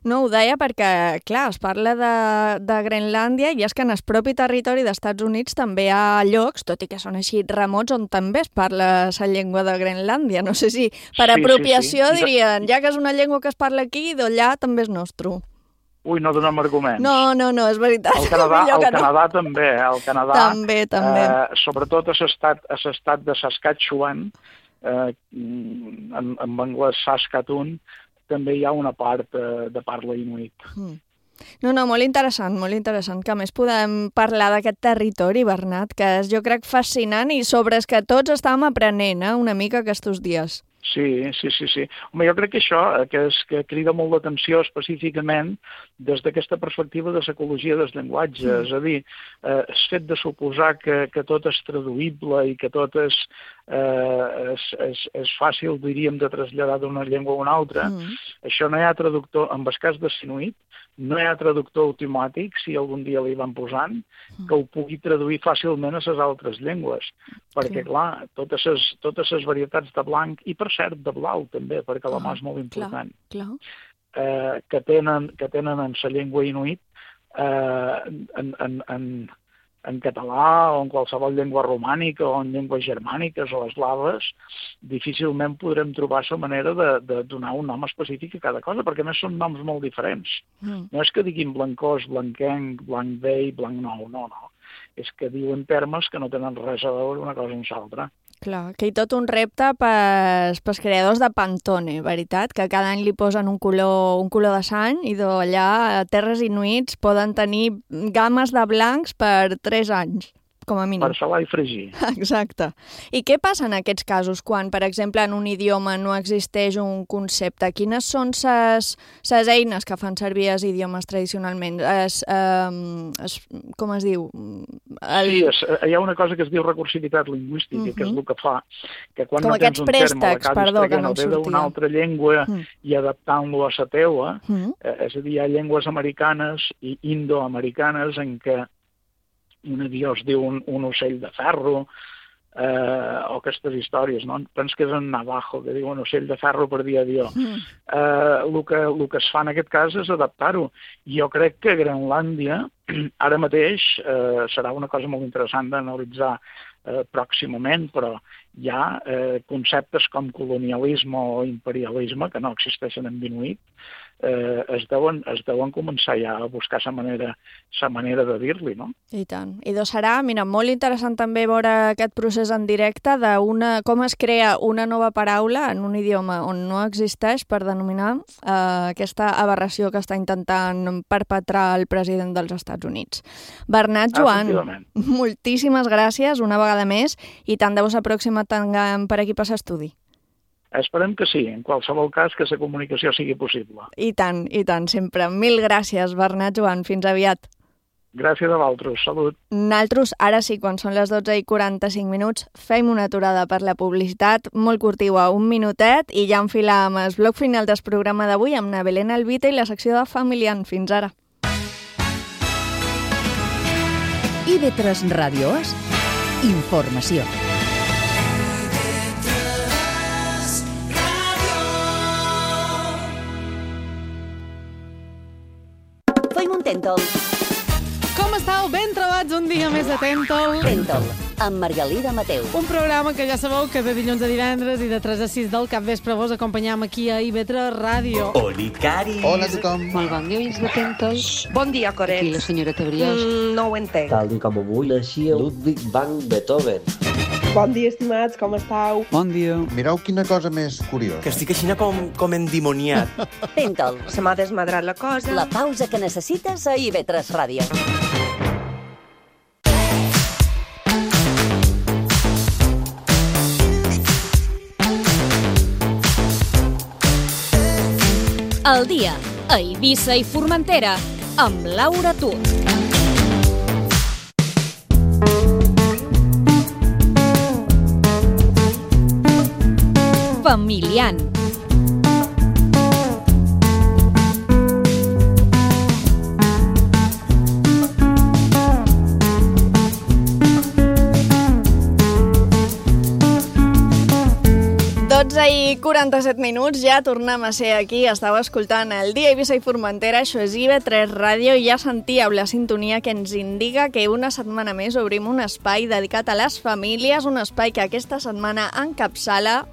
No, ho deia perquè, clar, es parla de Grenlàndia i és que en el propi territori dels Estats Units també hi ha llocs, tot i que són així remots, on també es parla la llengua de Grenlàndia. No sé si per apropiació dirien, ja que és una llengua que es parla aquí, d'allà també és nostre. Ui, no donem arguments. No, és veritat. El Canadà també, el Canadà. També. Sobretot a l'estat de Saskatchewan, en anglès Saskatoon, també hi ha una part de parla inuit. No, molt interessant, que a més podem parlar d'aquest territori, Bernat, que és, jo crec, fascinant i sobre que tots estàvem aprenent una mica aquests dies. Sí. Home, jo crec que això, que crida molt l'atenció específicament des d'aquesta perspectiva de l'ecologia dels llenguatges, és a dir, el fet de suposar que tot és traduïble i que tot és fàcil, diríem, de traslladar d'una llengua a una altra, això no hi ha traductor, en el cas de Sinuit, no hi ha traductor automàtic, si algun dia li van posant, que ho pugui traduir fàcilment a les altres llengües. Perquè, clar, totes les varietats de blanc, i per cert, de blau també, perquè la mà és molt important, que tenen en la llengua inuit, en català o en qualsevol llengua romànica o en llengües germàniques o eslaves, difícilment podrem trobar la manera de donar un nom específic a cada cosa, perquè a més són noms molt diferents. No és que diguin blancós, blanquenc, blanc vell, blanc nou, no. És que diuen termes que no tenen res a veure una cosa amb l'altra. Clar, que hi tot un repte pels creadors de Pantone, veritat? Que cada any li posen un color de sang i d'allà a terres inuits poden tenir games de blancs per 3 anys, com a mínim. Per salar i fregir. Exacte. I què passa en aquests casos quan, per exemple, en un idioma no existeix un concepte? Quines són les eines que fan servir els idiomes tradicionalment? Com es diu? Sí, hi ha una cosa que es diu recursivitat lingüística, que és el que fa que quan com no tens un terme que ve d'una altra llengua i adaptant-lo a la teua, és a dir, hi ha llengües americanes i indoamericanes en què un avió es diu un ocell de ferro, o aquestes històries, no? Penso que és en Navajo, que diu un ocell de ferro per dir avió. El que es fa en aquest cas és adaptar-ho. Jo crec que Grenlàndia, ara mateix, serà una cosa molt interessant d'analitzar pròximament, però hi ha conceptes com colonialisme o imperialisme que no existeixen en inuit, es deuen començar ja a buscar la manera de dir-li, no? I tant. I serà, mira, molt interessant també veure aquest procés en directe de com es crea una nova paraula en un idioma on no existeix per denominar aquesta aberració que està intentant perpetrar el president dels Estats Units. Bernat Joan, moltíssimes gràcies una vegada més i tant de bo la pròxima tinguem per aquí per l'estudi. Esperem que sí, en qualsevol cas que la comunicació sigui possible. I tant, sempre. Mil gràcies, Bernat Joan. Fins aviat. Gràcies a vosaltres. Salut. Nosaltres, ara sí, quan són les 12:45, fem una aturada per la publicitat, molt curtiva, 1 minutet, i ja enfilàvem el bloc final del programa d'avui amb na Belén Albita i la secció de Familiant. Fins ara. IB3 Ràdio és informació. Tèntol. Com estàu? Ben trobats un dia més a Tèntol. Tèntol, amb Margalida Mateu. Un programa que ja sabeu que de dilluns a divendres i de 3 a 6 del capvespre vos acompanyam aquí a IB3 Ràdio. Olicari. Hola a tothom. Molt bon dia, oients de Tèntol. Bon dia, Coret. Aquí la senyora Brioix. No ho entenc. Tal com avui naixia Ludwig van Beethoven. Bon dia, estimats, com estàu? Bon dia. Mireu quina cosa més curiosa. Que estic així com endimoniat. Tèntol. Se m'ha desmadrat la cosa. La pausa que necessites a IB3 Ràdio. El dia a Eivissa i Formentera amb Laura Tur. Familiant. I 47 minuts, ja tornem a ser aquí. Estàu escoltant el Dia Eivissa i Formentera, això és IB3 Ràdio, i ja sentíeu la sintonia que ens indica que una setmana més obrim un espai dedicat a les famílies, un espai que aquesta setmana encapçala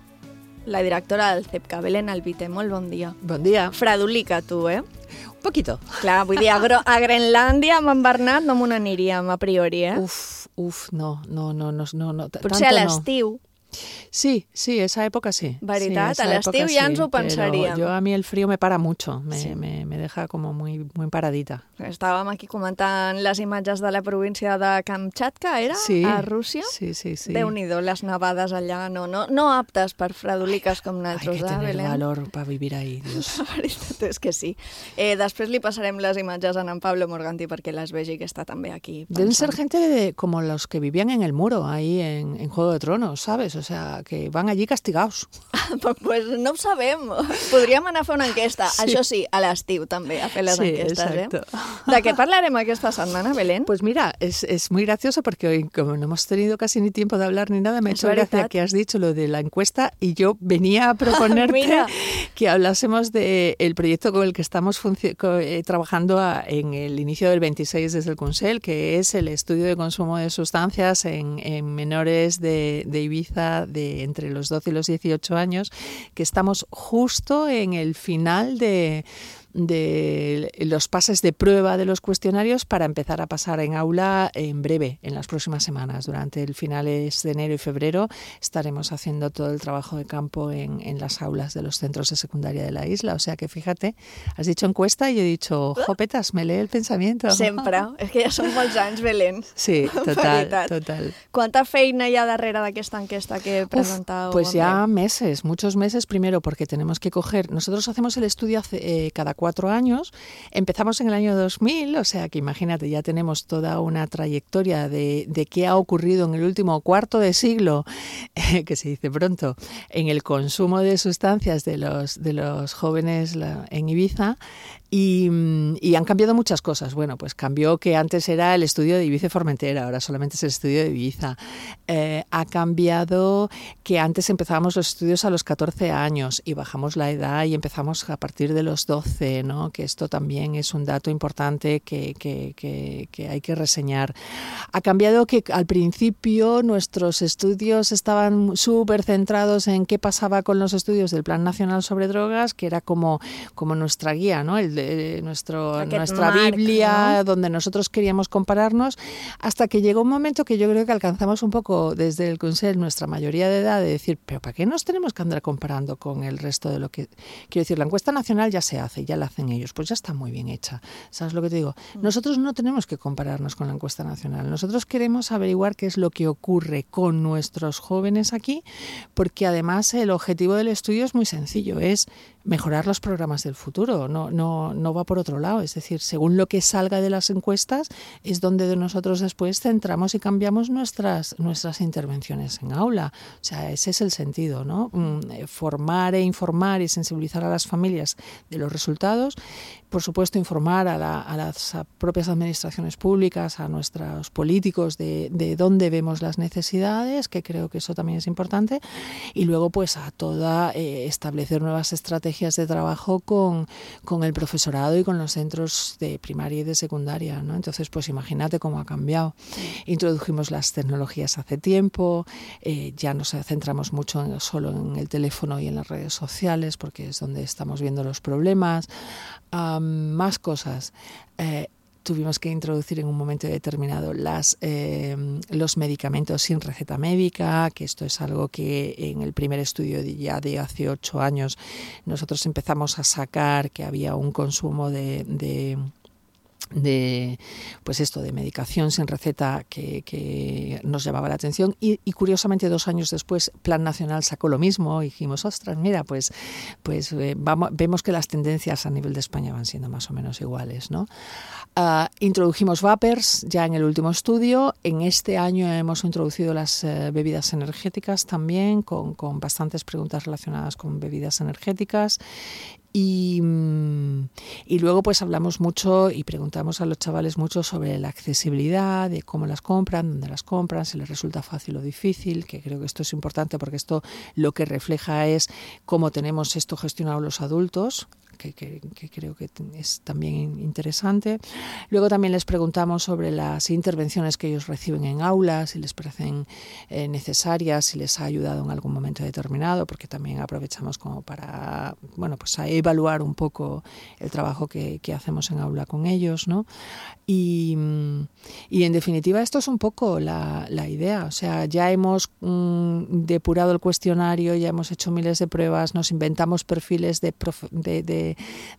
la directora del CEPCA, Belén Albite. Molt bon dia. Bon dia. Fredolica, tu, eh? Un poquito. Clar, vull dir, a Grenlàndia amb en Bernat no m'ho n'aniríem a priori, eh? Uf, no. Potser a l'estiu. Sí, esa época sí. Veritat, sí, a l'estiu ja ens ho pensaríem. Yo a mí el frío me para mucho, me deja como muy paradita. Estàvem aquí comentant les imatges de la província de Kamchatka, era? Sí, a Rússia? Sí. Déu-n'hi-do, les nevades allà, no aptes per fredoliques com nosaltres, Hay que tener Belén? valor para vivir ahí, Dios. La veritat és que sí. Després li passarem les imatges a en Pablo Morganti perquè les vegi, que està també aquí pensant. Deben ser gente como los que vivían en el muro, ahí en Juego de Tronos, ¿sabes? O sea, que van allí castigados. Pues no ho sabem. Podríem anar a fer una enquesta. Sí. Això sí, a l'estiu també, a fer les enquestes. Exacto. De què parlarem aquesta setmana, Belén? Pues mira, es muy gracioso porque hoy, como no hemos tenido casi ni tiempo de hablar ni nada, me ha hecho gracia que has dicho lo de la encuesta y yo venía a proponerte que hablásemos del proyecto con el que estamos trabajando en el inicio del 26 desde el Consell, que es el estudio de consumo de sustancias en menores de Ibiza de entre los 12 y los 18 años, que estamos justo en el final de los pases de prueba de los cuestionarios para empezar a pasar en aula en breve, en las próximas semanas. Durante el finales de enero y febrero estaremos haciendo todo el trabajo de campo en las aulas de los centros de secundaria de la isla. O sea que fíjate, has dicho encuesta y yo he dicho, jopetas, me lee el pensamiento. Sempre. És que ja són molts anys, Belén. Sí, total. Quanta feina hi ha darrere d'aquesta enquesta que presentau? Pues ya meses, muchos meses. Primero porque tenemos que coger, nosotros hacemos el estudio cada 4 años, empezamos en el año 2000, o sea que imagínate, ya tenemos toda una trayectoria de qué ha ocurrido en el último cuarto de siglo, que se dice pronto, en el consumo de sustancias de los jóvenes en Ibiza. Y han cambiado muchas cosas. Bueno, pues cambió que antes era el estudio de Ibiza y Formentera, ahora solamente es el estudio de Ibiza. Ha cambiado que antes empezábamos los estudios a los 14 años y bajamos la edad y empezamos a partir de los 12, ¿no? Que esto también es un dato importante que hay que reseñar. Ha cambiado que al principio nuestros estudios estaban súper centrados en qué pasaba con los estudios del Plan Nacional sobre Drogas, que era como nuestra guía, ¿no? Nuestra Biblia, ¿no? Donde nosotros queríamos compararnos, hasta que llegó un momento que yo creo que alcanzamos un poco desde el Consell nuestra mayoría de edad de decir, pero ¿para qué nos tenemos que andar comparando con el resto de lo que... Quiero decir, la encuesta nacional ya se hace, ya la hacen ellos, pues ya está muy bien hecha. ¿Sabes lo que te digo? Nosotros no tenemos que compararnos con la encuesta nacional, nosotros queremos averiguar qué es lo que ocurre con nuestros jóvenes aquí, porque además el objetivo del estudio es muy sencillo, es mejorar los programas del futuro, no va por otro lado. Es decir, según lo que salga de las encuestas es donde de nosotros después centramos y cambiamos nuestras intervenciones en aula. O sea, ese es el sentido, ¿no? Formar e informar y sensibilizar a las familias de los resultados. Por supuesto, informar a las propias administraciones públicas, a nuestros políticos de dónde vemos las necesidades, que creo que eso también es importante. Y luego, pues, establecer nuevas estrategias de trabajo con el profesorado y con los centros de primaria y de secundaria, ¿no? Entonces, pues imagínate cómo ha cambiado. Introdujimos las tecnologías hace tiempo, ya nos centramos mucho solo en el teléfono y en las redes sociales, porque es donde estamos viendo los problemas. Más cosas. Tuvimos que introducir en un momento determinado los medicamentos sin receta médica, que esto es algo que en el primer estudio ya de hace 8 años nosotros empezamos a sacar, que había un consumo de medicación sin receta que nos llamaba la atención y curiosamente 2 años después Plan Nacional sacó lo mismo y dijimos, ostras, mira, pues vemos que las tendencias a nivel de España van siendo más o menos iguales, ¿no? Introdujimos vapers ya en el último estudio. En este año hemos introducido las bebidas energéticas también, con bastantes preguntas relacionadas con bebidas energéticas. Y luego pues hablamos mucho y preguntamos a los chavales mucho sobre la accesibilidad, de cómo las compran, dónde las compran, si les resulta fácil o difícil, que creo que esto es importante porque esto lo que refleja es cómo tenemos esto gestionado los adultos, que creo que es también interesante. Luego también les preguntamos sobre las intervenciones que ellos reciben en aula, si les parecen necesarias, si les ha ayudado en algún momento determinado, porque también aprovechamos como para, pues a evaluar un poco el trabajo que hacemos en aula con ellos, ¿no? Y en definitiva esto es un poco la idea. O sea, ya hemos depurado el cuestionario, ya hemos hecho miles de pruebas, nos inventamos perfiles de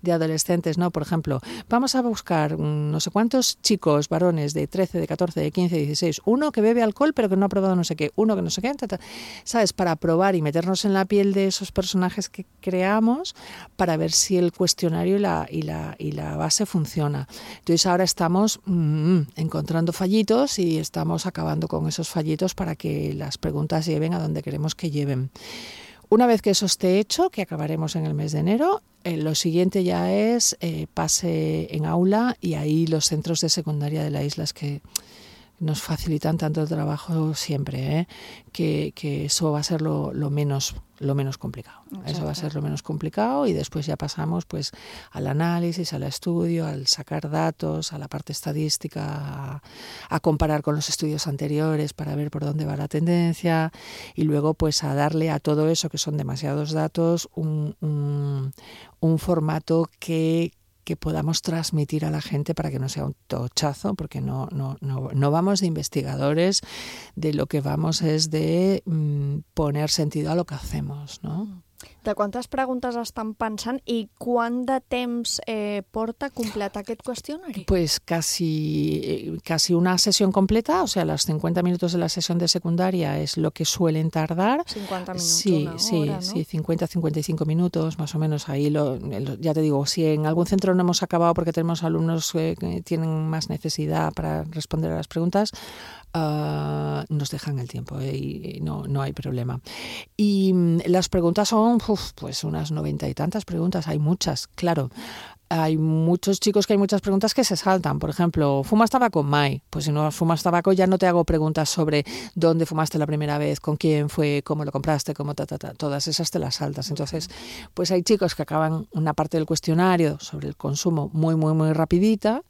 adolescentes, ¿no? Por ejemplo, vamos a buscar no sé cuántos chicos, varones de 13, de 14, de 15, de 16, uno que bebe alcohol pero que no ha probado no sé qué, uno que no sé qué, ¿sabes? Para probar y meternos en la piel de esos personajes que creamos para ver si el cuestionario y la base funciona. Entonces ahora estamos encontrando fallitos y estamos acabando con esos fallitos para que las preguntas lleven a donde queremos que lleven. Una vez que eso esté hecho, que acabaremos en el mes de enero, lo siguiente ya es pase en aula, y ahí los centros de secundaria de la isla es que nos facilitan tanto el trabajo siempre, que eso va a ser lo menos complicado. Exacto. Eso va a ser lo menos complicado, y después ya pasamos pues al análisis, al estudio, al sacar datos, a la parte estadística, a comparar con los estudios anteriores para ver por dónde va la tendencia, y luego pues a darle a todo eso, que son demasiados datos, un formato que podamos transmitir a la gente para que no sea un tochazo, porque no vamos de investigadores, de lo que vamos es de poner sentido a lo que hacemos, ¿no? De quantes preguntes estan pensant i quant de temps porta completar aquest qüestionari? Pues casi una sesión completa, o sea, los 50 minutos de la sesión de secundaria es lo que suelen tardar. 50 minutos, sí, una hora, ¿no? Sí, 50-55 minutos, más o menos. Ahí ya te digo, si en algún centro no hemos acabado porque tenemos alumnos que tienen más necesidad para responder a las preguntas, nos dejan el tiempo y no hay problema. Y las preguntas son pues unas 90 y tantas preguntas, hay muchas, claro. Hay muchos chicos que hay muchas preguntas que se saltan. Por ejemplo, ¿fumas tabaco? Mai. Pues si no fumas tabaco ya no te hago preguntas sobre dónde fumaste la primera vez, con quién fue, cómo lo compraste, cómo todas esas te las saltas. Entonces, pues hay chicos que acaban una parte del cuestionario sobre el consumo muy, muy, muy rapidita,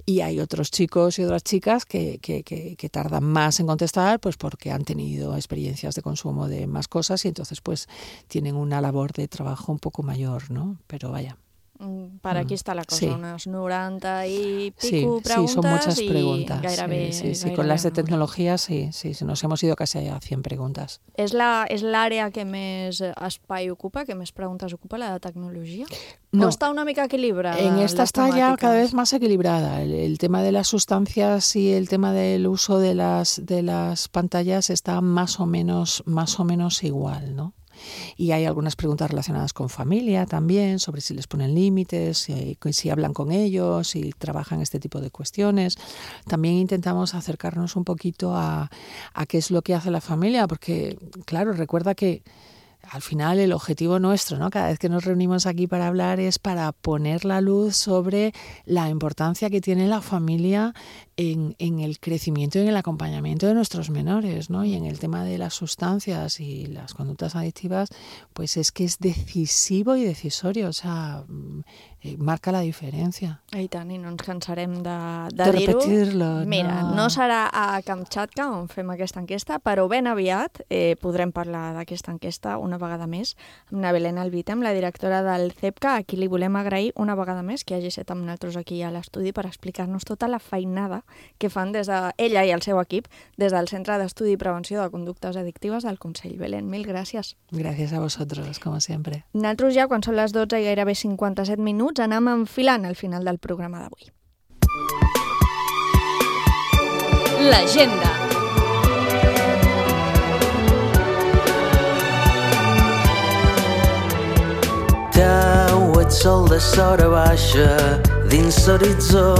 y hay otros chicos y otras chicas que tardan más en contestar, pues porque han tenido experiencias de consumo de más cosas, y entonces pues tienen una labor de trabajo un poco mayor, ¿no? Pero vaya. Per aquí està la cosa, sí. Unes 90 y sí, pico preguntas. Sí, son muchas preguntas. Gairebé, sí, con las de tecnología sí, nos hemos ido casi a 100 preguntas. És l'àrea que més espai ocupa, que més preguntes ocupa, la de tecnologia? No. ¿O está una mica equilibrada? En esta está ya cada vez más equilibrada. El tema de las sustancias y el tema del uso de las pantallas está más o menos igual, ¿no? Y hay algunas preguntas relacionadas con familia también, sobre si les ponen límites, si hablan con ellos, si trabajan este tipo de cuestiones. También intentamos acercarnos un poquito a qué es lo que hace la familia, porque, claro, recuerda que al final el objetivo nuestro, ¿no? Cada vez que nos reunimos aquí para hablar es para poner la luz sobre la importancia que tiene la familia en el crecimiento y en el acompañamiento de nuestros menores, ¿no? Y en el tema de las sustancias y las conductas adictivas, pues es que es decisivo y decisorio, o sea, marca la diferència. I tant, i no ens cansarem de dir-ho. Repetir-lo. Mira, no serà a Kamchatka on fem aquesta enquesta, però ben aviat podrem parlar d'aquesta enquesta una vegada més amb na Belén Albitem, la directora del CEPCA, a qui li volem agrair una vegada més que hagi estat amb nosaltres aquí a l'estudi per explicar-nos tota la feinada que fan des de ella i el seu equip des del Centre d'Estudi i Prevenció de Conductes Addictives del Consell. Belén, mil gràcies. Gràcies a vosotros, como siempre. Nosaltres ja, quan són les 12 i gairebé 57 minuts, anem enfilant al final del programa d'avui. L'agenda. Tau, et sol de sora baixa dins l'horitzó,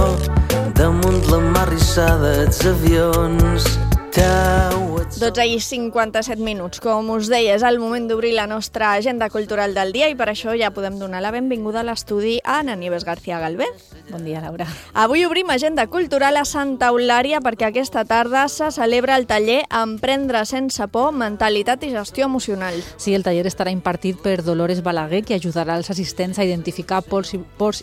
damunt la mar rissada els avions. Tau, 12:57. Com us deia, és el moment d'obrir la nostra agenda cultural del dia i per això ja podem donar la benvinguda a l'estudi a Ana Nieves García Galvez. Bon dia, Laura. Avui obrim agenda cultural a Santa Eulària perquè aquesta tarda se celebra el taller Emprendre sense por, mentalitat i gestió emocional. Sí, el taller estarà impartit per Dolores Balaguer, que ajudarà els assistents a identificar pors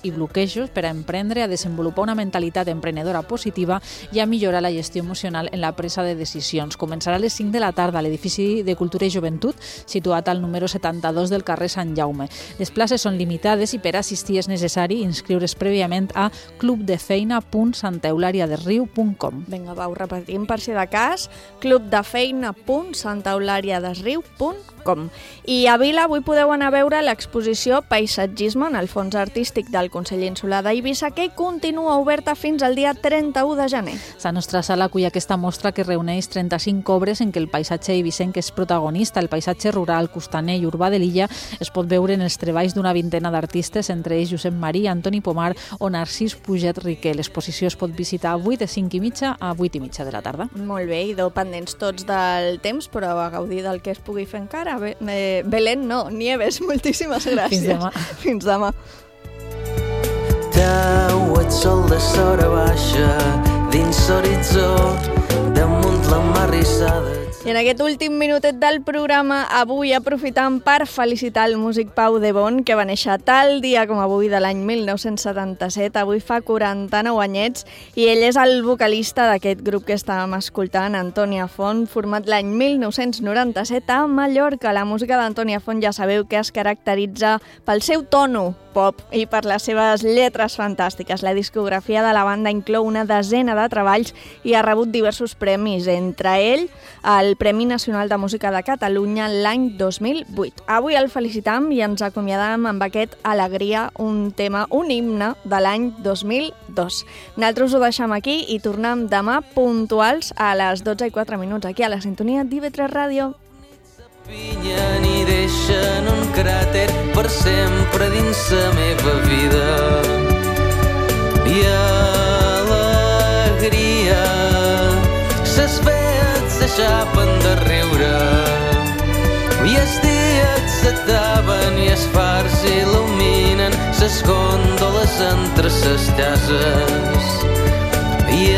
i bloquejos per a emprendre, a desenvolupar una mentalitat emprenedora positiva i a millorar la gestió emocional en la presa de decisions. Començarà a les 5 de la tarda a l'edifici de Cultura i Joventut, situat al número 72 del carrer Sant Jaume. Les places són limitades i per assistir és necessari inscriure's prèviament a clubdefeina.santaeulariadesriu.com. Vinga, va, ho repetim per si de cas, clubdefeina.santaeulariadesriu.com. I a Vila avui podeu anar a veure l'exposició Paisatgisme en el fons artístic del Consell Insular d'Eivissa, que continua oberta fins al dia 31 de gener. La nostra sala acull aquesta mostra que reuneix 35 obres en què el paisatge eivissenc és protagonista. El paisatge rural, costaner i urbà de l'illa es pot veure en els treballs d'una vintena d'artistes, entre ells Josep Marí, Antoni Pomar o Narcís Puget Riquer. L'exposició es pot visitar avui de 5:30 a 8:30 de la tarda. Molt bé, idò pendents tots del temps, però a gaudir del que es pugui fer encara. Belén, no, Nieves, moltíssimes gràcies. Fins demà. Fins demà. Tauet sol de sora baixa dins l'horitzó damunt la mar rissada. I en aquest últim minutet del programa, avui aprofitam per felicitar el músic Pau de Bon, que va néixer tal dia com avui de l'any 1977, avui fa 49 anyets, i ell és el vocalista d'aquest grup que estàvem escoltant, Antònia Font, format l'any 1997 a Mallorca. La música d'Antònia Font ja sabeu que es caracteritza pel seu tono pop i per les seves lletres fantàstiques. La discografia de la banda inclou una desena de treballs i ha rebut diversos premis, entre ell el Premi Nacional de Música de Catalunya l'any 2008. Avui el felicitam i ens acomiadam amb aquest Alegria, un tema, un himne de l'any 2002. Nosaltres ho deixem aquí i tornem demà puntuals a les 12:04 aquí a la sintonia d'IV3 Ràdio. Pillen i deixen un cràter per sempre dins la meva vida. I alegria, ses veets s'aixapen de riure i els dies s'ataven i els fars il·luminen ses gòndoles entre ses cases. I